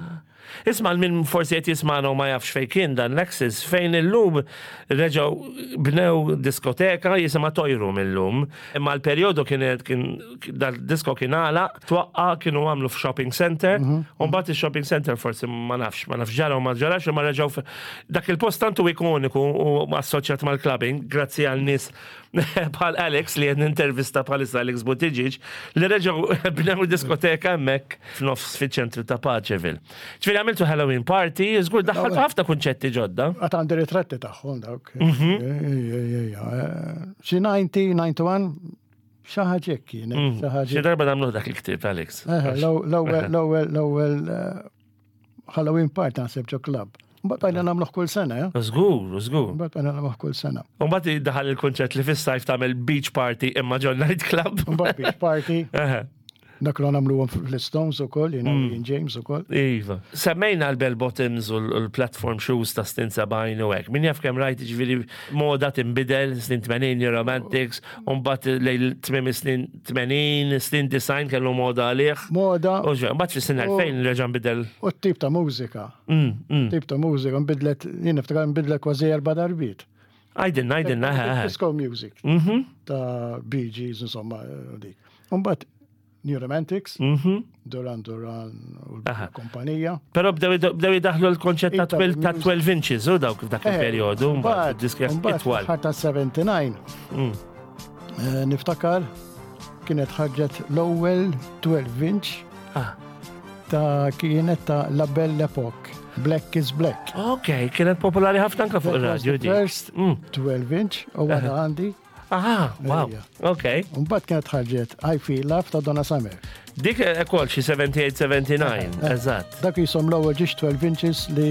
S1: Isma' minn forsi qed jismagħna u ma jafx fejn kien dan l-Axis, fejn illum reġgħu bnew diskoteka jisimha Toy Room illum. Imma l-perjodu kienet kien dal-disko kien għalaq, twaqqa, kienu għamlu f'shopping center, u mbagħad il-shopping center forsi ma nafx, ma nafx ġara u ma ġarax, imma reġgħu f- dak il-post tantu ikoniku u assoċjat mal-clubbing, grazzi għal nies bħal Alex li qed nintervista bħalissa, Alex Buttigieg, li reġgħu bnew diskoteka hemmhekk f'nofs fiċ-ċentru ta' Paceville. Ġifieri Ġifieri għamiltu Halloween party, żgur daħħaltu ħafna kunċetti ġodda.
S2: Għad għandi ritratti tagħhom dawk.
S1: Mhm.
S2: Ejja, ejja, ejja. Xi disgħin, disgħa u disgħin, xi ħaġa hekk kienet, xi ħaġa.
S1: Xi darba nagħmlu dak il-ktieb, Alex.
S2: Eħe, L-ewwel, l-ewwel, l-ewwel eh, Halloween party naħseb ġo club. Mbagħad bqajna nagħmluh kull sena, eh?
S1: Żgur, żgur.
S2: Mbagħad bqajna nagħmluh kull sena.
S1: U mbagħad daħal il-kunċett li fis-sajf tagħmel beach party imma ġo night club.
S2: Mbagħad beach party,
S1: Eħe.
S2: dak li nagħmluhom fl-Stones ukoll, jiena mm. James ukoll.
S1: Iva. Semmejna l-bell bottoms u l-platform shoes ta' snin sebgħin u hekk. Min jaf kemm rajt, ġifieri moda tinbidel, snin tmenin Romantics, u mbagħad lejn tmiem snin tmenin, snin disgħin kellu moda għalih.
S2: Moda
S1: U ġe, mbagħad fis-snin elfejn reġa' nbidel.
S2: U t-tip ta' mużika.
S1: Mm, mm.
S2: Tip ta' mużika nbidlet, jien niftakar nbidlet kważi erba' darbiet.
S1: Għidilna, għidilna, eħe, eħe.
S2: Disco music
S1: Mhm,
S2: ta' Bee Gees, insomma, dik. Mbagħad New Romantics,
S1: mhm.
S2: Duran Duran u
S1: Aha.
S2: l-kumpanija.
S1: Però bdew bdew jidaħlu l-konċett ta'
S2: Ita-
S1: twelve ta' twelve inches u dawk f'dak
S2: Eh,
S1: il-perjodu, mbagħad diski
S2: Mbagħad
S1: itwal.
S2: ħar ta' sebgħa u disgħin,
S1: Mm.
S2: eh, niftakar kienet ħarġet l-ewwel twelve inch
S1: Ah,
S2: ta' kienet ta' La Belle Epoque, Black is Black.
S1: Ok, kienet popolari ħafna anka fuq
S2: That was
S1: il-radio
S2: the
S1: di.
S2: first
S1: Mm.
S2: twelve inch u għadha għandi.
S1: Aha, wow.
S2: Ejja.
S1: Ok.
S2: Mbagħad kienet ħarġet I Feel Love ta' Donna Summer.
S1: Dik ukoll xi sebgħa u sebgħin, sebgħa u disgħin, eżatt.
S2: Dak jisom l-ewwel ġiex twelve inches li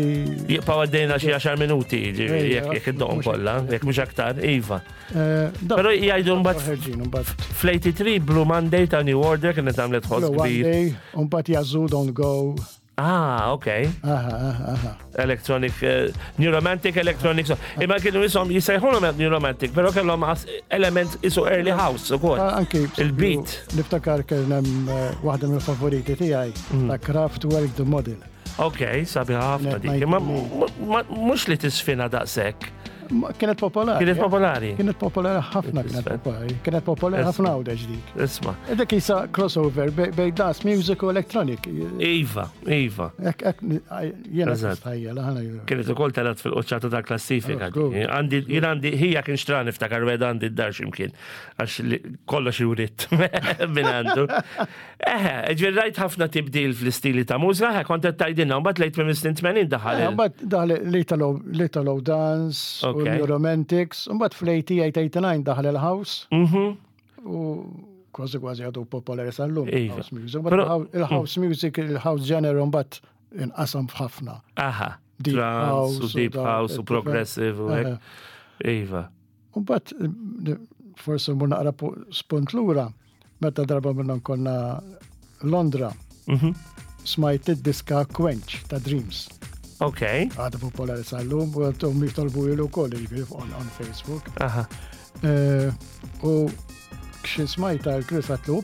S1: Jibqgħu għaddejna xi għaxar minuti, ġifieri,
S2: Ejja,
S1: jekk jekk iddoqhom
S2: mhux
S1: kollha, jekk mhux aktar, iva.
S2: eh, dak-
S1: Però jgħidu mbagħad
S2: ħerġin mbagħad
S1: fl-tmienja u tmenin Blue Monday ta' New Order kienet għamlet ħoss
S2: Blue
S1: kbir.
S2: Monday, u mbagħad Yazoo Don't Go.
S1: Ah, ok.
S2: Aha, aha, aha.
S1: Electronic, eh, New Romantic, Electronic. So. Imma kienu jisom jisejħulhom New Romantic, però kellhom as- element isu early house ukoll.
S2: Ah, Anki
S1: Il-beat.
S2: Niftakar kien hemm eh, waħda mill-favoriti tiegħi
S1: Mm.
S2: ta' Kraftwerk, The Model.
S1: Ok, sabiħa ħafna
S2: Kienet
S1: dik. Imma
S2: nineteen
S1: ma- mhux li tisfina daqshekk.
S2: Ma Kienet popolari.
S1: Kienet
S2: eh?
S1: popolari.
S2: Kienet popolari ħafna, kienet
S1: Isfel.
S2: popolari. Kienet popolari
S1: Isma.
S2: ħafna Għawdex dik.
S1: Isma.
S2: Dik isa crossover bej bej dance music u electronic.
S1: Iva, Iva.
S2: Ek, ek, jena
S1: Eżatt.
S2: tistajjel, ħana.
S1: Kienet ukoll telat fil-qoċċata ta' klassifika.
S2: Oh, good.
S1: Għandi, jien għandi, ħija kien xtran niftakar wed għandi d-dar ximkien, għax li- kollox jurit minn għandu. Eħe, ġifieri rajt ħafna tibdil fl-istili ta' mużika, eħe, kont qed tgħidilna, mbagħad lejt minn snin tmenin daħal. il-
S2: Mbagħad daħal l-Italo l-Italo dance u
S1: Ok.
S2: New Romantics, mbagħad fl-eighty-eight eighty-nine daħal il-house
S1: Mhm.
S2: u kważi kważi għadu popolari sal-lum
S1: Iva.
S2: house music. But
S1: Però-
S2: il-house music, il-house genre mbagħad inqasam f'ħafna.
S1: Aha.
S2: Deep
S1: Trance
S2: house
S1: u
S2: u
S1: deep
S2: dawn
S1: house u
S2: il-
S1: progressive u hekk.
S2: Eħe.
S1: Iva.
S2: Mbagħad forsi mmur naqra pu- spunt lura, meta darba minnhom konna Londra,
S1: Mhm.
S2: smajt id-diska Quench ta' Dreams.
S1: Ok.
S2: Għadu popolari sal-lum, u għadhom jitolbu ilu koll, ġifieri on, on Facebook.
S1: Aha.
S2: Eh, U xi smajta l-Chris għatlu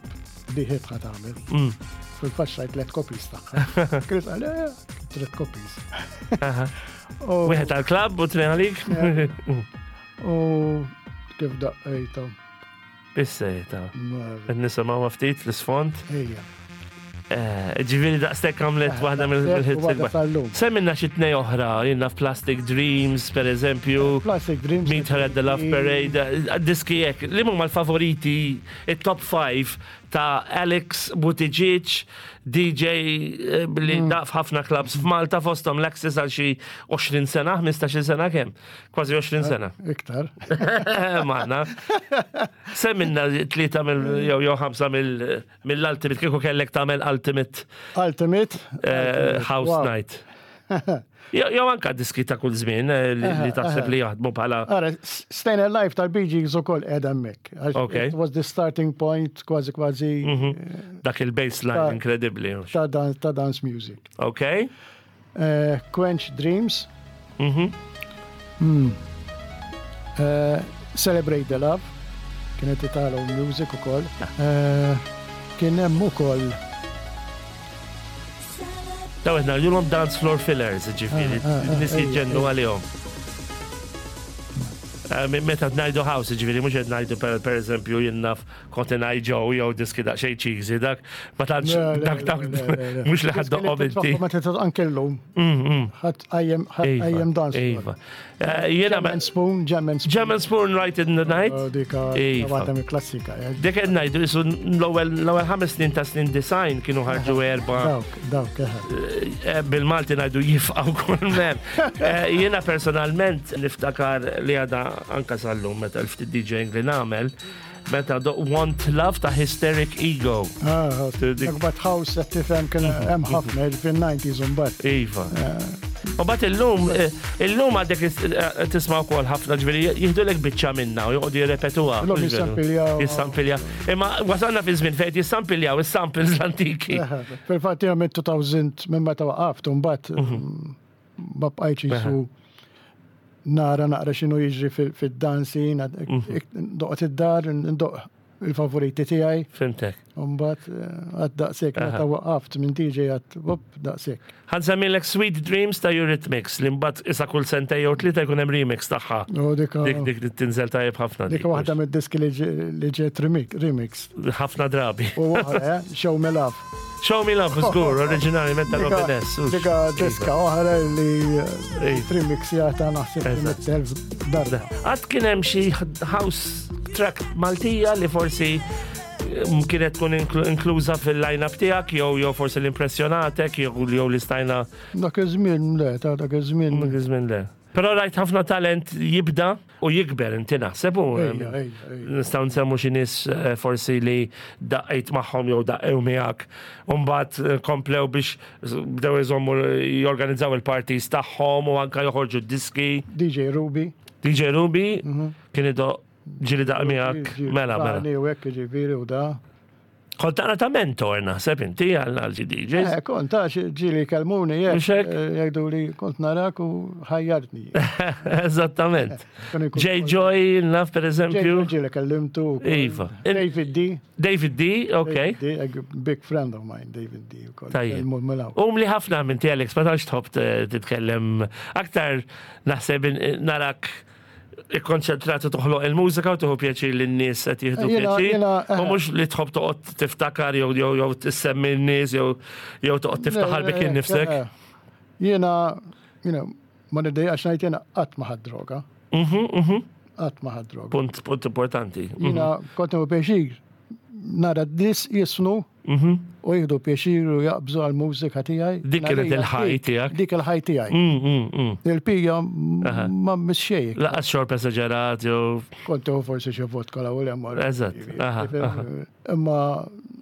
S2: di hit ħa tagħmel.
S1: Mm.
S2: Fil-fatt xtrajt tliet copies tagħha. Chris qal, eh, tliet copies.
S1: Aha.
S2: U-
S1: Wieħed għal-klabb u tnejn għalik?
S2: U kif daqqejta.
S1: Bissejta.
S2: ma-
S1: Qed nisimgħu ftit fl-isfond.
S2: Ejja.
S1: Eh, Ġifieri daqstek għamlet waħda mill-hits
S2: Waħda
S1: il-kbar.
S2: sal-lum.
S1: Semmilna xi tnej oħra, jiena Plastic Dreams, per eżempju,
S2: Plastic Dreams.
S1: Meet Her at the Love Parade, eh, diski hekk, li huma l-favoriti, il-top five ta' Alex Buttigieg, D J eh, li
S2: Mm.
S1: daqq f'ħafna clubs f'Malta, fosthom l-Access għal xi għoxrin sena, ħmistax-il sena kemm? Kważi għoxrin sena.
S2: Iktar.
S1: Maħna. Semmilna tlieta mill jew jew ħamsa mill- mill-Ultimate, kieku kellek tagħmel Ultimate
S2: Ultimate.
S1: eh, House
S2: Wow.
S1: Night. Jew jew anka diski ta' kull żmien eh, li li taħseb li jaħdmu bħala.
S2: Ara, Stayin' Alive tal-Bee Gees u koll edha mek.
S1: Okay.
S2: It was the starting point, kważi kważi
S1: Dak il-baseline
S2: Ta'
S1: inkredibbli.
S2: ta' dan- ta' dance music.
S1: Ok?
S2: Eh, Quench, Dreams.
S1: Mhm.
S2: Mm. Eh, Celebrate the Love. Kienet Italo music u koll. Eh, Kien hemm ukoll
S1: Daw qed ngħidulhom dance floor fillers, ġifieri,
S2: Ah, ah, ah,
S1: nies
S2: ejja,
S1: jiġġennu
S2: ejja.
S1: għalihom. Eh, Meta ngħidu house, ġifieri, mhux qed ngħidu per per eżempju jien naf Cotton Eye Joe jew diski daqsxejn cheesy, dak ma tantx
S2: Le, le,
S1: dak dak
S2: le, le, le.
S1: mhux li ħa ddoqqhom inti.
S2: Ma titgħod anke llum.
S1: Mm, mm.
S2: Ħa tqajjem ħa tqajjem dance.
S1: Iva. Eh, Jiena
S2: Jam and Spoon, Jam and Spoon.
S1: Jam and Spoon Right in the Night.
S2: Oh, Dika
S1: Iva.
S2: waħda mill-klassika. eh.
S1: Dik qed ngħidu isu l-ewwel l-ewwel ħames snin ta' snin disgħin kienu ħarġu erba'
S2: Dawk, dawk, eħe.
S1: eh, bil-Malti ngħidu jifqgħu kull mem. Eh, Jiena personalment niftakar li għada anka sal-lum meta l-ftit DJing li nagħmel meta do Want Love ta' Hysteric Ego.
S2: Ah,
S1: Dik-
S2: Dak bat house qed tifhem kien hemm ħafna fil-nineties mbagħad.
S1: Iva. U bat illum, eh, illum għadek is- eh, tisma' wkoll ħafna ġifieri jieħdulek biċċa minna u joqogħdu jirrepetuha.
S2: Illum
S1: Mhux veru?
S2: jissampiljaw.
S1: Jissampiljaw. Imma wasalna fi żmien fejn jissampiljaw is-samples l-antiki.
S2: Eħe, fil-fatt jiena minn elfejn minn meta waqaft u mbagħad
S1: Mhm.
S2: ma bqajtx jisu nara naqra x'inhu jiġri fil- fid-dancing,
S1: Mhm.
S2: doqgħod id-dar, ndoq il-favoriti tiegħi.
S1: Fhimtek.
S2: U mbagħad għad daqshekk meta waqaft minn D J għad wop daqshekk.
S1: Ħa nsemmilek Sweet Dreams ta' Eurythmics li mbagħad issa kull sentej jew tlieta jkun hemm remix tagħha.
S2: U dika
S1: Dik dik tinżel tajjeb ħafna.
S2: dik waħda mid-diski li ġe- li ġiet remix- remix.
S1: Ħafna drabi.
S2: U oħra, eh, Show Me Love.
S1: Show Me Love, żgur, oriġinali meta Robin S. hux.
S2: Dika diska oħra li
S1: Iva.
S2: remixjata naħseb
S1: Eżatt.
S2: mitt elf darba.
S1: Għad kien hemm xi house track Maltija li forsi mm, kienet tkun inklu- inkluża fil-line-up tiegħek jew jew forsi l-impressjonatek jew jew li stajna
S2: Dak iż-żmien le, ta' dak iż-żmien.
S1: dak iż-żmien le. Però rajt ħafna talent jibda u jikber inti naħseb u
S2: Ejja, ejja, ejja.
S1: nistgħu nsemmu xi nies eh, forsi li daqqejt magħhom jew daqqew miegħek u mbagħad eh, komplew biex bdew iżommu jorganizzaw il-parties tagħhom u anka joħorġu d-diski.
S2: D J Ruby.
S1: D J Ruby kien idoq ġieli daqq miegħek mela mela.
S2: U hekk ġifieri u da.
S1: Kont taqra ta' mentor naħseb inti għal għal xi D Js.
S2: Eh, kont ta' ġieli kelmuni jekk.
S1: Mhux hekk?
S2: eh, Jgħidu li kont narak u ħajjartni.
S1: Eżattament.
S2: Kienu jkun-
S1: J Joy, naf per
S2: J
S1: eżempju.
S2: Ġieli kellimtu. wkoll.
S1: Iva.
S2: David D.
S1: David D, ok.
S2: David D, a big friend of mine, David D. ukoll.
S1: Tajjeb.
S2: Kelmu milaw.
S1: Um li ħafna minn ti Alex, ma tantx tħobb t- titkellem aktar naħseb in- narak ikkonċentrat u toħloq il-mużika u tieħu pjaċir li n-nies qed jieħdu
S2: Jiena-
S1: pjaċir.
S2: jiena,
S1: U
S2: eh.
S1: mhux li tħobb toqgħod tiftakar jew jew jew tissemmi n-nies jew jew toqgħod tiftaħar bik innifsek.
S2: Eh, Jiena, you know, ma niddejjaqx ngħid jiena qatt ma ħadt droga.
S1: Mhm, mhm.
S2: Qatt ma ħadt droga.
S1: Punt punt importanti. Mhm,
S2: Jiena kont nieħu pjaċir nara d-nies jiżfnu
S1: mhm.
S2: u jieħdu pjaċir u jaqbżu għal-mużika tiegħi.
S1: Dik kienet il-ħaj tiegħek.
S2: Dik il-ħaj tiegħi.
S1: Mm, mm, mm.
S2: Il-pija
S1: Aha.
S2: ma mxejk.
S1: Lanqas xorb esaġerat jew
S2: Kont tieħu forsi xi vodka la u l-emmor.
S1: Eżatt, aha, aha.
S2: Imma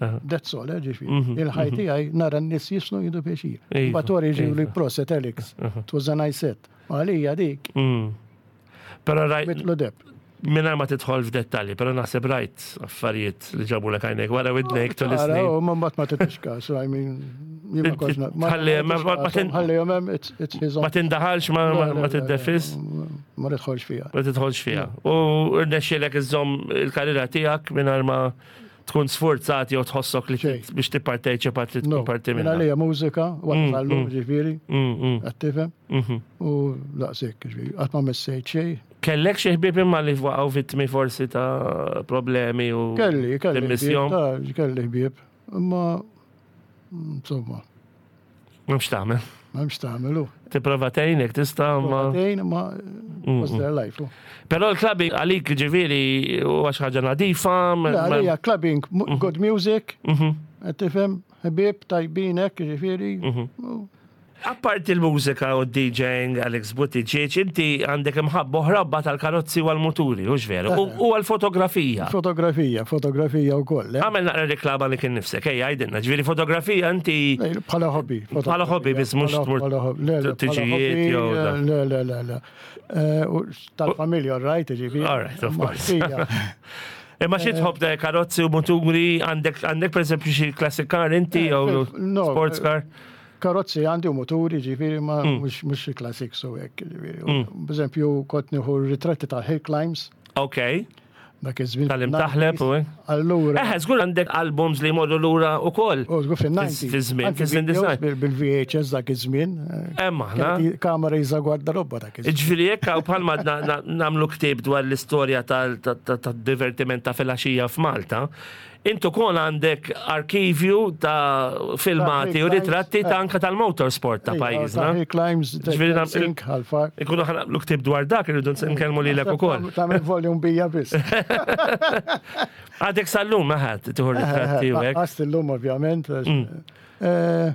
S1: Aha.
S2: that's all, eh, ġifieri.
S1: Mhm,
S2: Il-ħaj tiegħi nara n-nies jiżfnu jieħdu pjaċir.
S1: Iva,
S2: Mbagħad jiġu li
S1: iva.
S2: proset Alex, it was a nice set. Għalija dik,
S1: Mm. Però rajt
S2: mitlu deb.
S1: Mingħajr ma tidħol f'dettalji, però naħseb rajt affarijiet li ġabu l għajnek wara widnejk tul
S2: Ara,
S1: is-snin.
S2: u ma mbagħad ma titix każ, I mean, jien ma kontx na- ma-
S1: Tħalli- ma- ma- ma tin-
S2: Ħalli hemm, it's it's his own.
S1: Ma tindaħalx ma, ma, ma tiddefis,
S2: Ma nidħolx fiha.
S1: ma tidħolx fiha. U rnexxielek iżżomm il-karriera tiegħek mingħajr ma tkun sforzat jew tħossok li
S2: Xejn.
S1: biex tipparteċipa trid
S2: No,
S1: tkun parti
S2: minn
S1: minnha.
S2: għalija mużika,
S1: Mm,
S2: għallu
S1: mm.
S2: ġifieri,
S1: Mm, mm,
S2: qed tifhem,
S1: mhm.
S2: u daqshekk, ġifieri, qatt ma messejt xejn.
S1: Kellek xi ħbieb imma li waqgħu vittmi forsi ta' problemi u
S2: Kelli, kelli.
S1: timmissjom?
S2: ħbieb, ta' kelli ħbieb, imma insomma,
S1: M'hemmx tagħmel.
S2: m'hemmx tagħmelu.
S1: Tipprova tgħinek tista' ma.
S2: Tgħin, ma
S1: Mm,
S2: was their life. u.
S1: Però l-clubbing għalik ġifieri huwa xi ħaġa nadifa. ma-
S2: Le,
S1: ma-
S2: għalija clubbing, mu- good music,
S1: Mhm.
S2: qed tifhem, ħbieb tajbin hekk, ġifieri.
S1: Mhm.
S2: u-
S1: Apparti l-mużika u D Jing, Alex Buttigieg, inti għandek imħabba oħra tal-karozzi u għal-muturi, hux veru? U u għal-fotografija.
S2: Fotografija, fotografija wkoll. eh.
S1: Għamel naqra reklama li kien nifsek, ejja, għidilna, ġifieri fotografija inti
S2: Ej, bħala hobby.
S1: Bħala hobby, biss mhux
S2: Bħala-
S1: tmur
S2: bħala hobby. Le, le, bħala
S1: tiġijiet
S2: hobby,
S1: jew da.
S2: Le, le, le, le. Eh, u tal-familja, all right, ġifieri.
S1: All right, of
S2: Ma
S1: course.
S2: fija.
S1: Imma xi tħobb da karozzi u muturi, għandek għandek per eżempju xi classic car inti
S2: Eh,
S1: jew
S2: no,
S1: sports car?
S2: Karozzi għandi u muturi, ġifieri, ma
S1: Mm.
S2: mhux mhux classic so hekk, ġifieri. Per eżempju, kont nieħu ritratti ta' hill climbs,
S1: Ok.
S2: Dak iż-żmien.
S1: Tal-imtaħleb u hekk.
S2: Allura.
S1: Eh, żgur għandek albums li jmorru lura wkoll.
S2: U żgur fin-nineties.
S1: Fi żmien,
S2: Anke
S1: fi żmien
S2: videos
S1: design.
S2: bil- Bil-V H S dak iż-żmien.
S1: Hemm aħna.
S2: Kienet kamera jiża gwardarobba dak iż-żmien.
S1: Ġifieri jekk hawn bħalma na- na- nagħmlu ktieb dwar l-istorja tal-divertiment ta' filgħaxija f'Malta, intu kon għandek arkivju ta' filmati u
S2: Ta'
S1: ritratti ta'
S2: eh.
S1: anka tal-motorsport ta' pajjiżna.
S2: Hill climbs,
S1: Ġifieri nam-
S2: sink, għal-far.
S1: Ikunu ħa nagħmlu ktieb dwar dak, irridu nkellmu lilek ukoll.
S2: Tagħmel volume bija biss.
S1: Għadek sal-lum maħat tieħu ritratti u hekk.
S2: Għast illum ovvjament.
S1: Mm.
S2: Eh,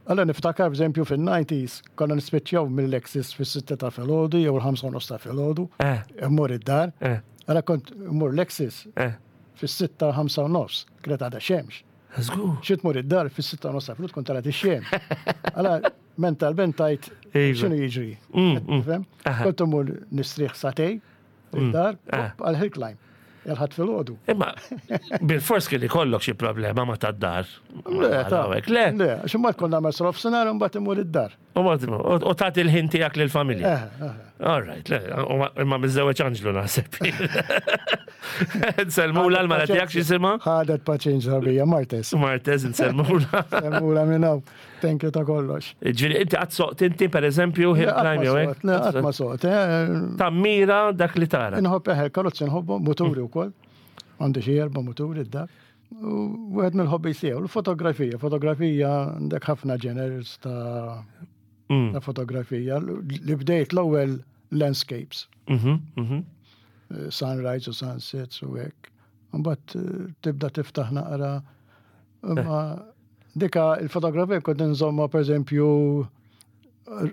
S2: Allora niftakar, b'eżempju, fin-nineties konna nispiċċjaw mill-Lexis fis-sitta ta' filgħodu jew il-ħamsa u nofs ta' filgħodu.
S1: Eh,
S2: Immur id-dar.
S1: eh,
S2: Allora kont immur Lexis
S1: eh.
S2: fis-sitta ħamsa u nofs, kienet għadha xemx.
S1: Żgur.
S2: Xi tmur id-dar fis-sitta u nofs ta' filgħodu tkun tarat ix-xemx. Allora mentalment tajt
S1: Iva.
S2: x'inhu jiġri.
S1: Mm, mm.
S2: Fhem?
S1: Aha.
S2: Kont immur nistrieħ sagħtejn id-dar
S1: Ah.
S2: għal hill climb. Il-Ħadd filgħodu.
S1: Imma bil-fors kien ikollok xi problema ma tad-dar.
S2: Le, ta'
S1: Le.
S2: Le, għax imbagħad konna nagħmel nofsinhar u mbagħad imur id-dar.
S1: U ma- U tagħti l-ħin tiegħek lill-familja.
S2: Eh, eh.
S1: All right, le, u ma- imma miżżewweġ Anġlu naħseb. Nsellmula l-mara tiegħek x'jisimha?
S2: Ħadet paċenzja bija, Martes.
S1: Martez nsellmula.
S2: Sellmula minn hawn. Thank you ta' kollox.
S1: Ġifieri inti qatt soqt inti per eżempju hill
S2: Le, qatt ma
S1: climb jew hekk?
S2: soqt, le, qatt ma soqt. eh,
S1: Tammira dak li tara.
S2: Inħobb eħe, karozzi nħobbu, muturi wkoll. Għandi xi erba' muturi d-dar. U wieħed mill-hobbies tiegħu, l-fotografija. Fotografija għandek ħafna genres ta'
S1: Mm.
S2: ta' fotografija. Li bdejt l-ewwel landscapes,
S1: Mhm, mhm.
S2: eh, sunrise u sunsets u hekk. Mbagħad eh, tibda tiftaħ naqra. Imma dika il-fotografija kont nżomma, pereżempju,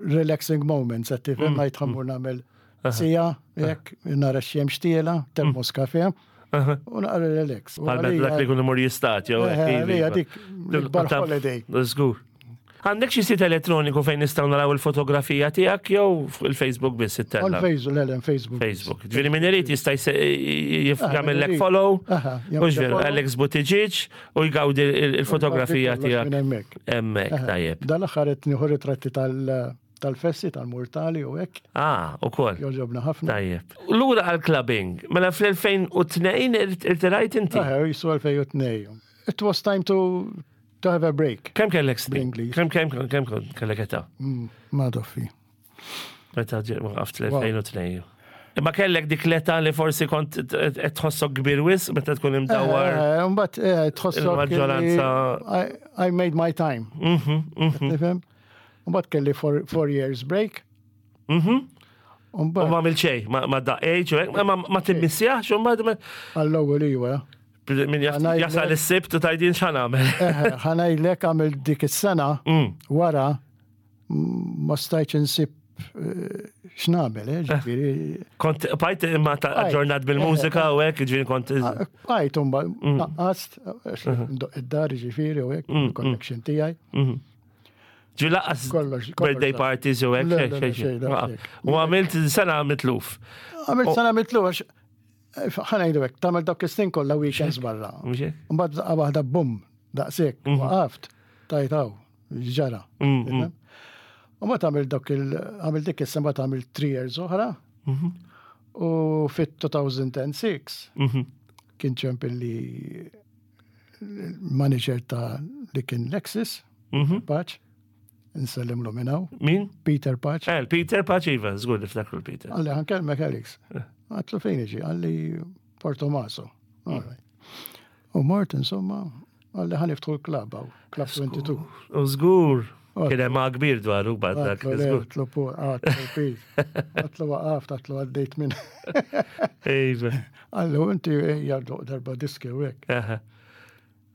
S2: relaxing moments, qed tifhem, ngħid ħa mmur nagħmel siegħa, hekk, nara x-xemx tiela, termos kafe,
S1: Aha.
S2: u naqra relax. U
S1: Bħal
S2: għalija-
S1: dak li jkun imur jistad, jew
S2: Eh,
S1: hekk, iva,
S2: għalija
S1: iva.
S2: dik l-ikbar holiday.
S1: Żgur. Għandek xi sit elettroniku fejn nistgħu naraw il-fotografija tiegħek jew fuq il-Facebook biss
S2: On
S1: ittella?
S2: Facebook, le, le, Facebook.
S1: Facebook. Ġifieri min irid jista' jse- jif-
S2: Ah,
S1: jagħmellek
S2: min irid.
S1: follow,
S2: Aha,
S1: u
S2: jagħmel
S1: ġveru
S2: follow.
S1: Alex Buttigieg u jgawdi il- il-fotografija
S2: Kollox
S1: tiegħek
S2: minn hemmhekk.
S1: hemmhekk,
S2: Aha.
S1: tajjeb.
S2: Dal-aħħar qed nieħu ritratti tal- tal-festi, tal-murtali u hekk,
S1: Ah, ukoll.
S2: jogħġobna ħafna.
S1: Tajjeb. Lura għal-clubbing, mela fl-elfejn u tnejn irtirajt inti?
S2: Aha, jisu elfejn u tnejn. It was time to to have a break.
S1: Kemm kellek snin?
S2: Bl-Ingliż.
S1: Kemm kemm kemm kellek età?
S2: Mm, Ma doffi.
S1: Meta ġe- waqaft l-elfejn u tnejn. Imma kellek dik l-età li forsi kont qed tħossok kbir wisq meta tkun imdawwar.
S2: Eh, Mbagħad eh, tħossok li
S1: Il-maġġoranza-
S2: I, I made my time.
S1: Mhm, mhm,
S2: Tifhem? Mbagħad kelli four, four years break.
S1: mhm. U
S2: Mbagħad
S1: ma għamil xejn, ma ma daqqejx, u hekk, ma ma timmissjax, u ma
S2: għall-ewwel iwa.
S1: min jaf-
S2: Għanajlek-
S1: jasal is-Sibt u tajdin x'ħa nagħmel.
S2: Eh, ħa ngħidlek, għamil dik is-sena
S1: Mm.
S2: wara mm, ma stajtx insib eh, x'nagħmel, eh, ġifieri.
S1: Kont bajt imma ta'
S2: Bajt.
S1: aġġornat bil-mużika u hekk, ġifieri kont.
S2: Bajt mbagħad naqqast għax ndoq id-dar ġifieri u hekk, il-connection tiegħi.
S1: Mhm. Ġi lanqas
S2: Kollox, kollox
S1: birthday
S2: da.
S1: parties u hekk,
S2: Le,
S1: xejn,
S2: le, le,
S1: xejn,
S2: xejn, da,
S1: xejn.
S2: xejn.
S1: U għamilt sena mitluf.
S2: Għamilt sena mitlu għax eh, ħa ngħidu hekk, tagħmel dawk is-snin kollha weekends barra.
S1: Mhux hekk?
S2: Mbagħad daqqa waħda bum, daqshekk, waqaft, tajtaw, ġara.
S1: Mm, mm.
S2: U ma tagħmel dawk il għamil dik is-sena mbagħad għamil three years oħra. U fit-two thousand and six
S1: Mhm.
S2: kien ċempilli manager ta' li kien Lexis,
S1: Mhm.
S2: Paċ, nsellimlu minn hawn,
S1: Min?
S2: Peter Paċ.
S1: Eh, Peter Paċ, iva, żgur niftakru l-Peter.
S2: Qalli ħa nkellmek, Alex. Għedtlu fejn iġi, qalli Portomaso. All right. U mort, insomma, qalli ħa niftħu l-club hawn, Club twenty-two.
S1: U żgur.
S2: Oh.
S1: Kien hemm kbir dwaru bad dak.
S2: Għedtlu le,
S1: Żgur.
S2: għedtlu pu, għedtlu Pete. Għedtlu waqaft, għedtlu għaddejt minn.
S1: Iva.
S2: Qalli, u inti ejja darba diski u hekk.
S1: Aha.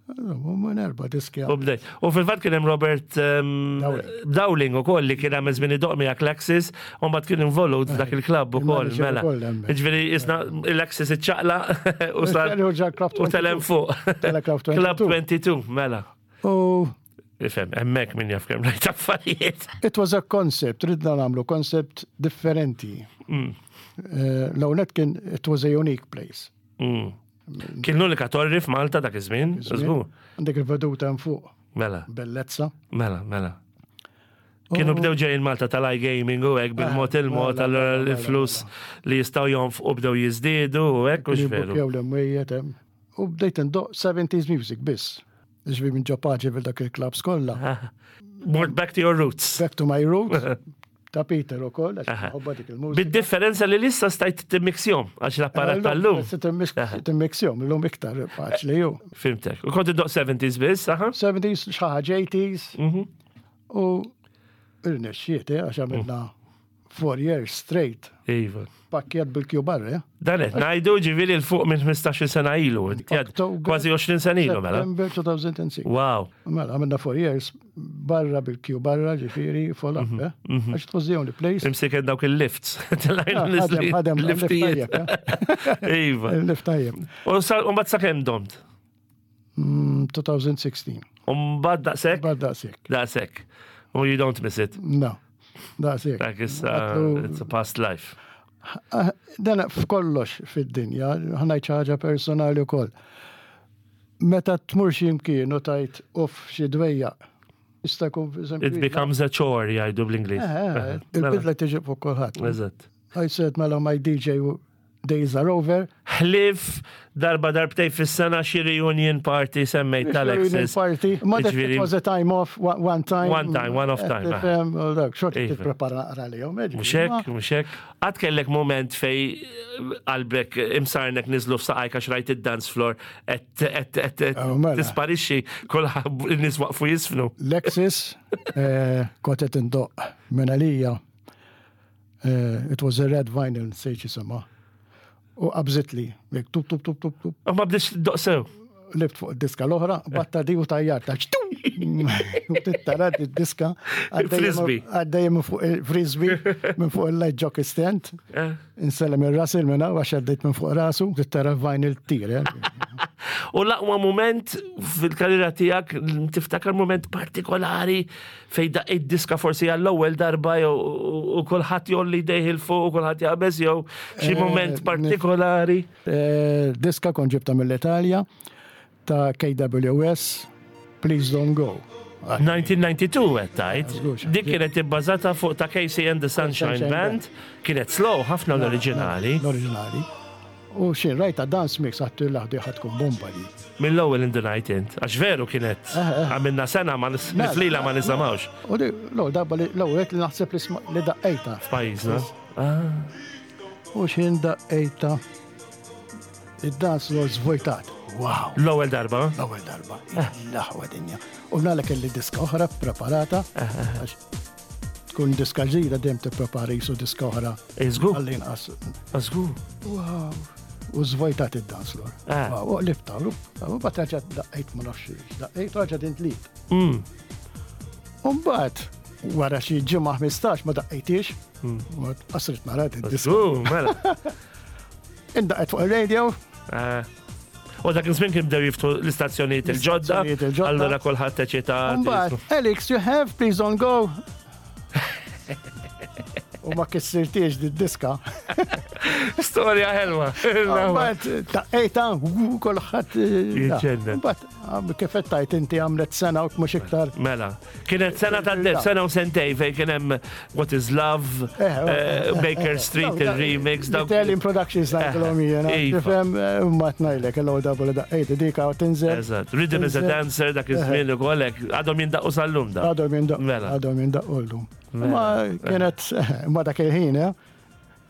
S2: Minn erba diski.
S1: U bdejt. U fil-fatt kien hemm Robert um,
S2: Dowling.
S1: Dowling ukoll li kien hemm żmien idoq miegħek l-Axis u mbagħad kien involut f'dak il-klabb ukoll
S2: Il-manager
S1: mela.
S2: ukoll hemmhekk.
S1: Ġifieri isna l-Axis iċċaqla u sar
S2: U ġa Club
S1: u telem fuq.
S2: Tela Club
S1: Club
S2: twenty-two.
S1: twenty-two, mela.
S2: U
S1: Ifhem, hemmhekk min jaf kemm rajt affarijiet.
S2: it was a concept, ridna nagħmlu concept differenti.
S1: Mm.
S2: Eh, L-ewwel kien, it was a unique place.
S1: Mm. Kien l-unika torri f'Malta dak iż-żmien, żgur.
S2: Għandek il-veduta hemm fuq,
S1: Mela,
S2: bellezza.
S1: mela, mela. Kienu bdew ġejjin Malta tal-iGaming u hekk bil-mod il-mod,
S2: mela,
S1: allura
S2: mela,
S1: l-flus li jistgħu jonfqu bdew jiżdiedu u hekk, u veru.
S2: Jew l-imwejjed hemm. U bdejt indoqq seventies music biss. Ġifieri minn ġo Paġi dak il-clubs kollha.
S1: More back to your roots.
S2: Back to my roots. Ta' Peter u koll, għax ħobba dik il-mużika.
S1: Bid-differenza li issa stajt timmixjahom, għax l-apparat tal-lum.
S2: Timmixjahom, l-lum iktar faċli ju.
S1: Fhimtek. U kont iddoqq seventies biss, aha?
S2: seventies, xi ħaġa eighties.
S1: Mhm.
S2: U irnexxiet, eh, għax għamilna four years straight.
S1: Iva.
S2: Pakkjet bil-kju barra, eh?
S1: Dan qed ngħidu ġifieri 'l fuq minn ħmistax-il sena ilu.
S2: October-
S1: Kważi għoxrin sena ilu, mela.
S2: September two thousand six.
S1: Wow.
S2: Mela, għamilna four years barra bil-kju barra, ġifieri, full up, eh? Għax it was the only place.
S1: Imsiken dawk il-lifts.
S2: Ah, ħadem, ħadem,
S1: Liftijiet.
S2: il-lift.
S1: Iva.
S2: Il-lift tajjeb.
S1: U sa- u mbagħad sakemm domt?
S2: Mm, twenty sixteen.
S1: U mbagħad daqshekk?
S2: Bad daqsek.
S1: Daqshekk. U you don't miss it.
S2: No, daqsek.
S1: Dak issa,
S2: Għatlu-
S1: it's a past life.
S2: Ah, dan f'kollox fid-dinja, ħa ngħid ħaġa personali wkoll. Meta tmur xi imkien u tgħid uff xi dwejjaq, jista' jkun eżempju.
S1: It becomes a chore, jgħidu bl-Ingliż.
S2: Eh, eh, Il-bidla tiġi fuq kulħadd.
S1: Eżatt.
S2: I said, mela, my D J days are over.
S1: Ħlief darba darbtej fis-sena xi reunion party semmejt tal-Axis.
S2: Party. Ma that
S1: Ġifieri-
S2: it was a time off, one one time.
S1: One time, one off time, ah.
S2: Tifhem, u dak, xorta
S1: Iva.
S2: tipprepara naqra lihom. eh,
S1: Mhux hekk, mhux hekk. Għad kellek moment fej qalbek imsarnek niżlu f'saqajk għax rajt id-dance floor et et et et
S2: Oh, mela.
S1: tisparixxi, kulħadd in-nies waqfu jiżfnu.
S2: Lexus, eh, kont qed indoqq minn għalija. Eh, It was a red vinyl, nsejt jisimha. U qabżitli, jek tup tup tup tup tup,
S1: U ma bdietx iddoqq sew.
S2: Lift fuq id-diska l-oħra, batta di u tajjarta. U tittara id-diska.
S1: Frisbee.
S2: Għaddejja minn fuq il-frisbee, minn fuq il-light jockey stand.
S1: Eh.
S2: Insellem il-Russell minna, għax għaddejt minn fuq rasu, tittara vinyl tir. Eh.
S1: U l-aqwa moment fil-karriera tiegħek, tiftakar moment partikolari fej daqqejt diska forsi għall-ewwel darba jew u kulħadd jgħolli idejh 'il fuq u kulħadd jaqbeż jew xi
S2: Eh,
S1: moment partikolari?
S2: Eh, Diska kont ġibta mill-Italja ta' K W S, Please Don't Go.
S1: elf disa' mija u tnejn u disgħin qed tgħid.
S2: Żgur,
S1: Dik kienet ibbażata fuq ta' K C and the Sunshine
S2: Sunshine
S1: Band, kienet slow ħafna l-oriġinali.
S2: L-oriġinali. U xin rajta dance mix għattu l-ħdi tkun bomba di.
S1: Mill-ewwel in the night int, għax veru kienet
S2: Eh, eh.
S1: għamilna sena ma nis-
S2: Mela,
S1: niflila ma nisimgħux
S2: U di, l-ewwel darba li l-ewwel li naħseb li sma- li daqqejta.
S1: f'pajjiżna. Ah,
S2: U xin daqqejta id-dance floor zvojtat. Wow!
S1: L-ewwel darba.
S2: L-ewwel darba. L-aħwa dinja. U nala kelli diska oħra preparata. Għax tkun diska ġdida dejjem tipprepara jisu diska oħra.
S1: Iżgur,
S2: Għall-inqas.
S1: żgur.
S2: Wow. U zvojtat id-dance floor.
S1: Ah.
S2: Wow, u qlibta, u bat raġa daqqejt ma nafx, daqqejt raġa din tlit.
S1: Mm.
S2: U mbagħad wara xi ġimgħa ħmistax ma daqqejtix, u qasrit nara id-diska.
S1: Żgur, mela.
S2: Indaqqet fuq il-radio,
S1: Ah. U dak iż-żmien kien bdew jiftħu l-istazzjonijiet il-ġodda,
S2: L-istazzjonijiet il-ġodda.
S1: allura kulħadd eċitat.
S2: Mbagħad, "Alex, you have Please Don't Go." U ma kissirtiex di diska.
S1: Storja ħelwa.
S2: Mbagħad daqqejta, u kulħadd.
S1: Jiġġennen.
S2: Mbagħad kif qed tajt inti għamlet sena u mhux iktar.
S1: Mela, kienet sena ta'
S2: Da.
S1: sena u sentej fej kien hemm What is Love,
S2: Eh,
S1: eh, Baker Street, il-remix, dawk.
S2: Italian Productions ngħidilhom jiena.
S1: Iva.
S2: Tifhem, ma tnajlek l-ewwel darba li daqqejt dika u tinżel.
S1: Eżatt, Rhythm is a
S2: Tinżel.
S1: Dancer dak iż-żmien ukoll hekk, għadhom jindaqqu sal-lum da.
S2: Għadhom jindaq.
S1: Mela.
S2: Għadhom jindaqqu llum.
S1: Mela.
S2: Ma kienet, ma dak il-ħin, eh?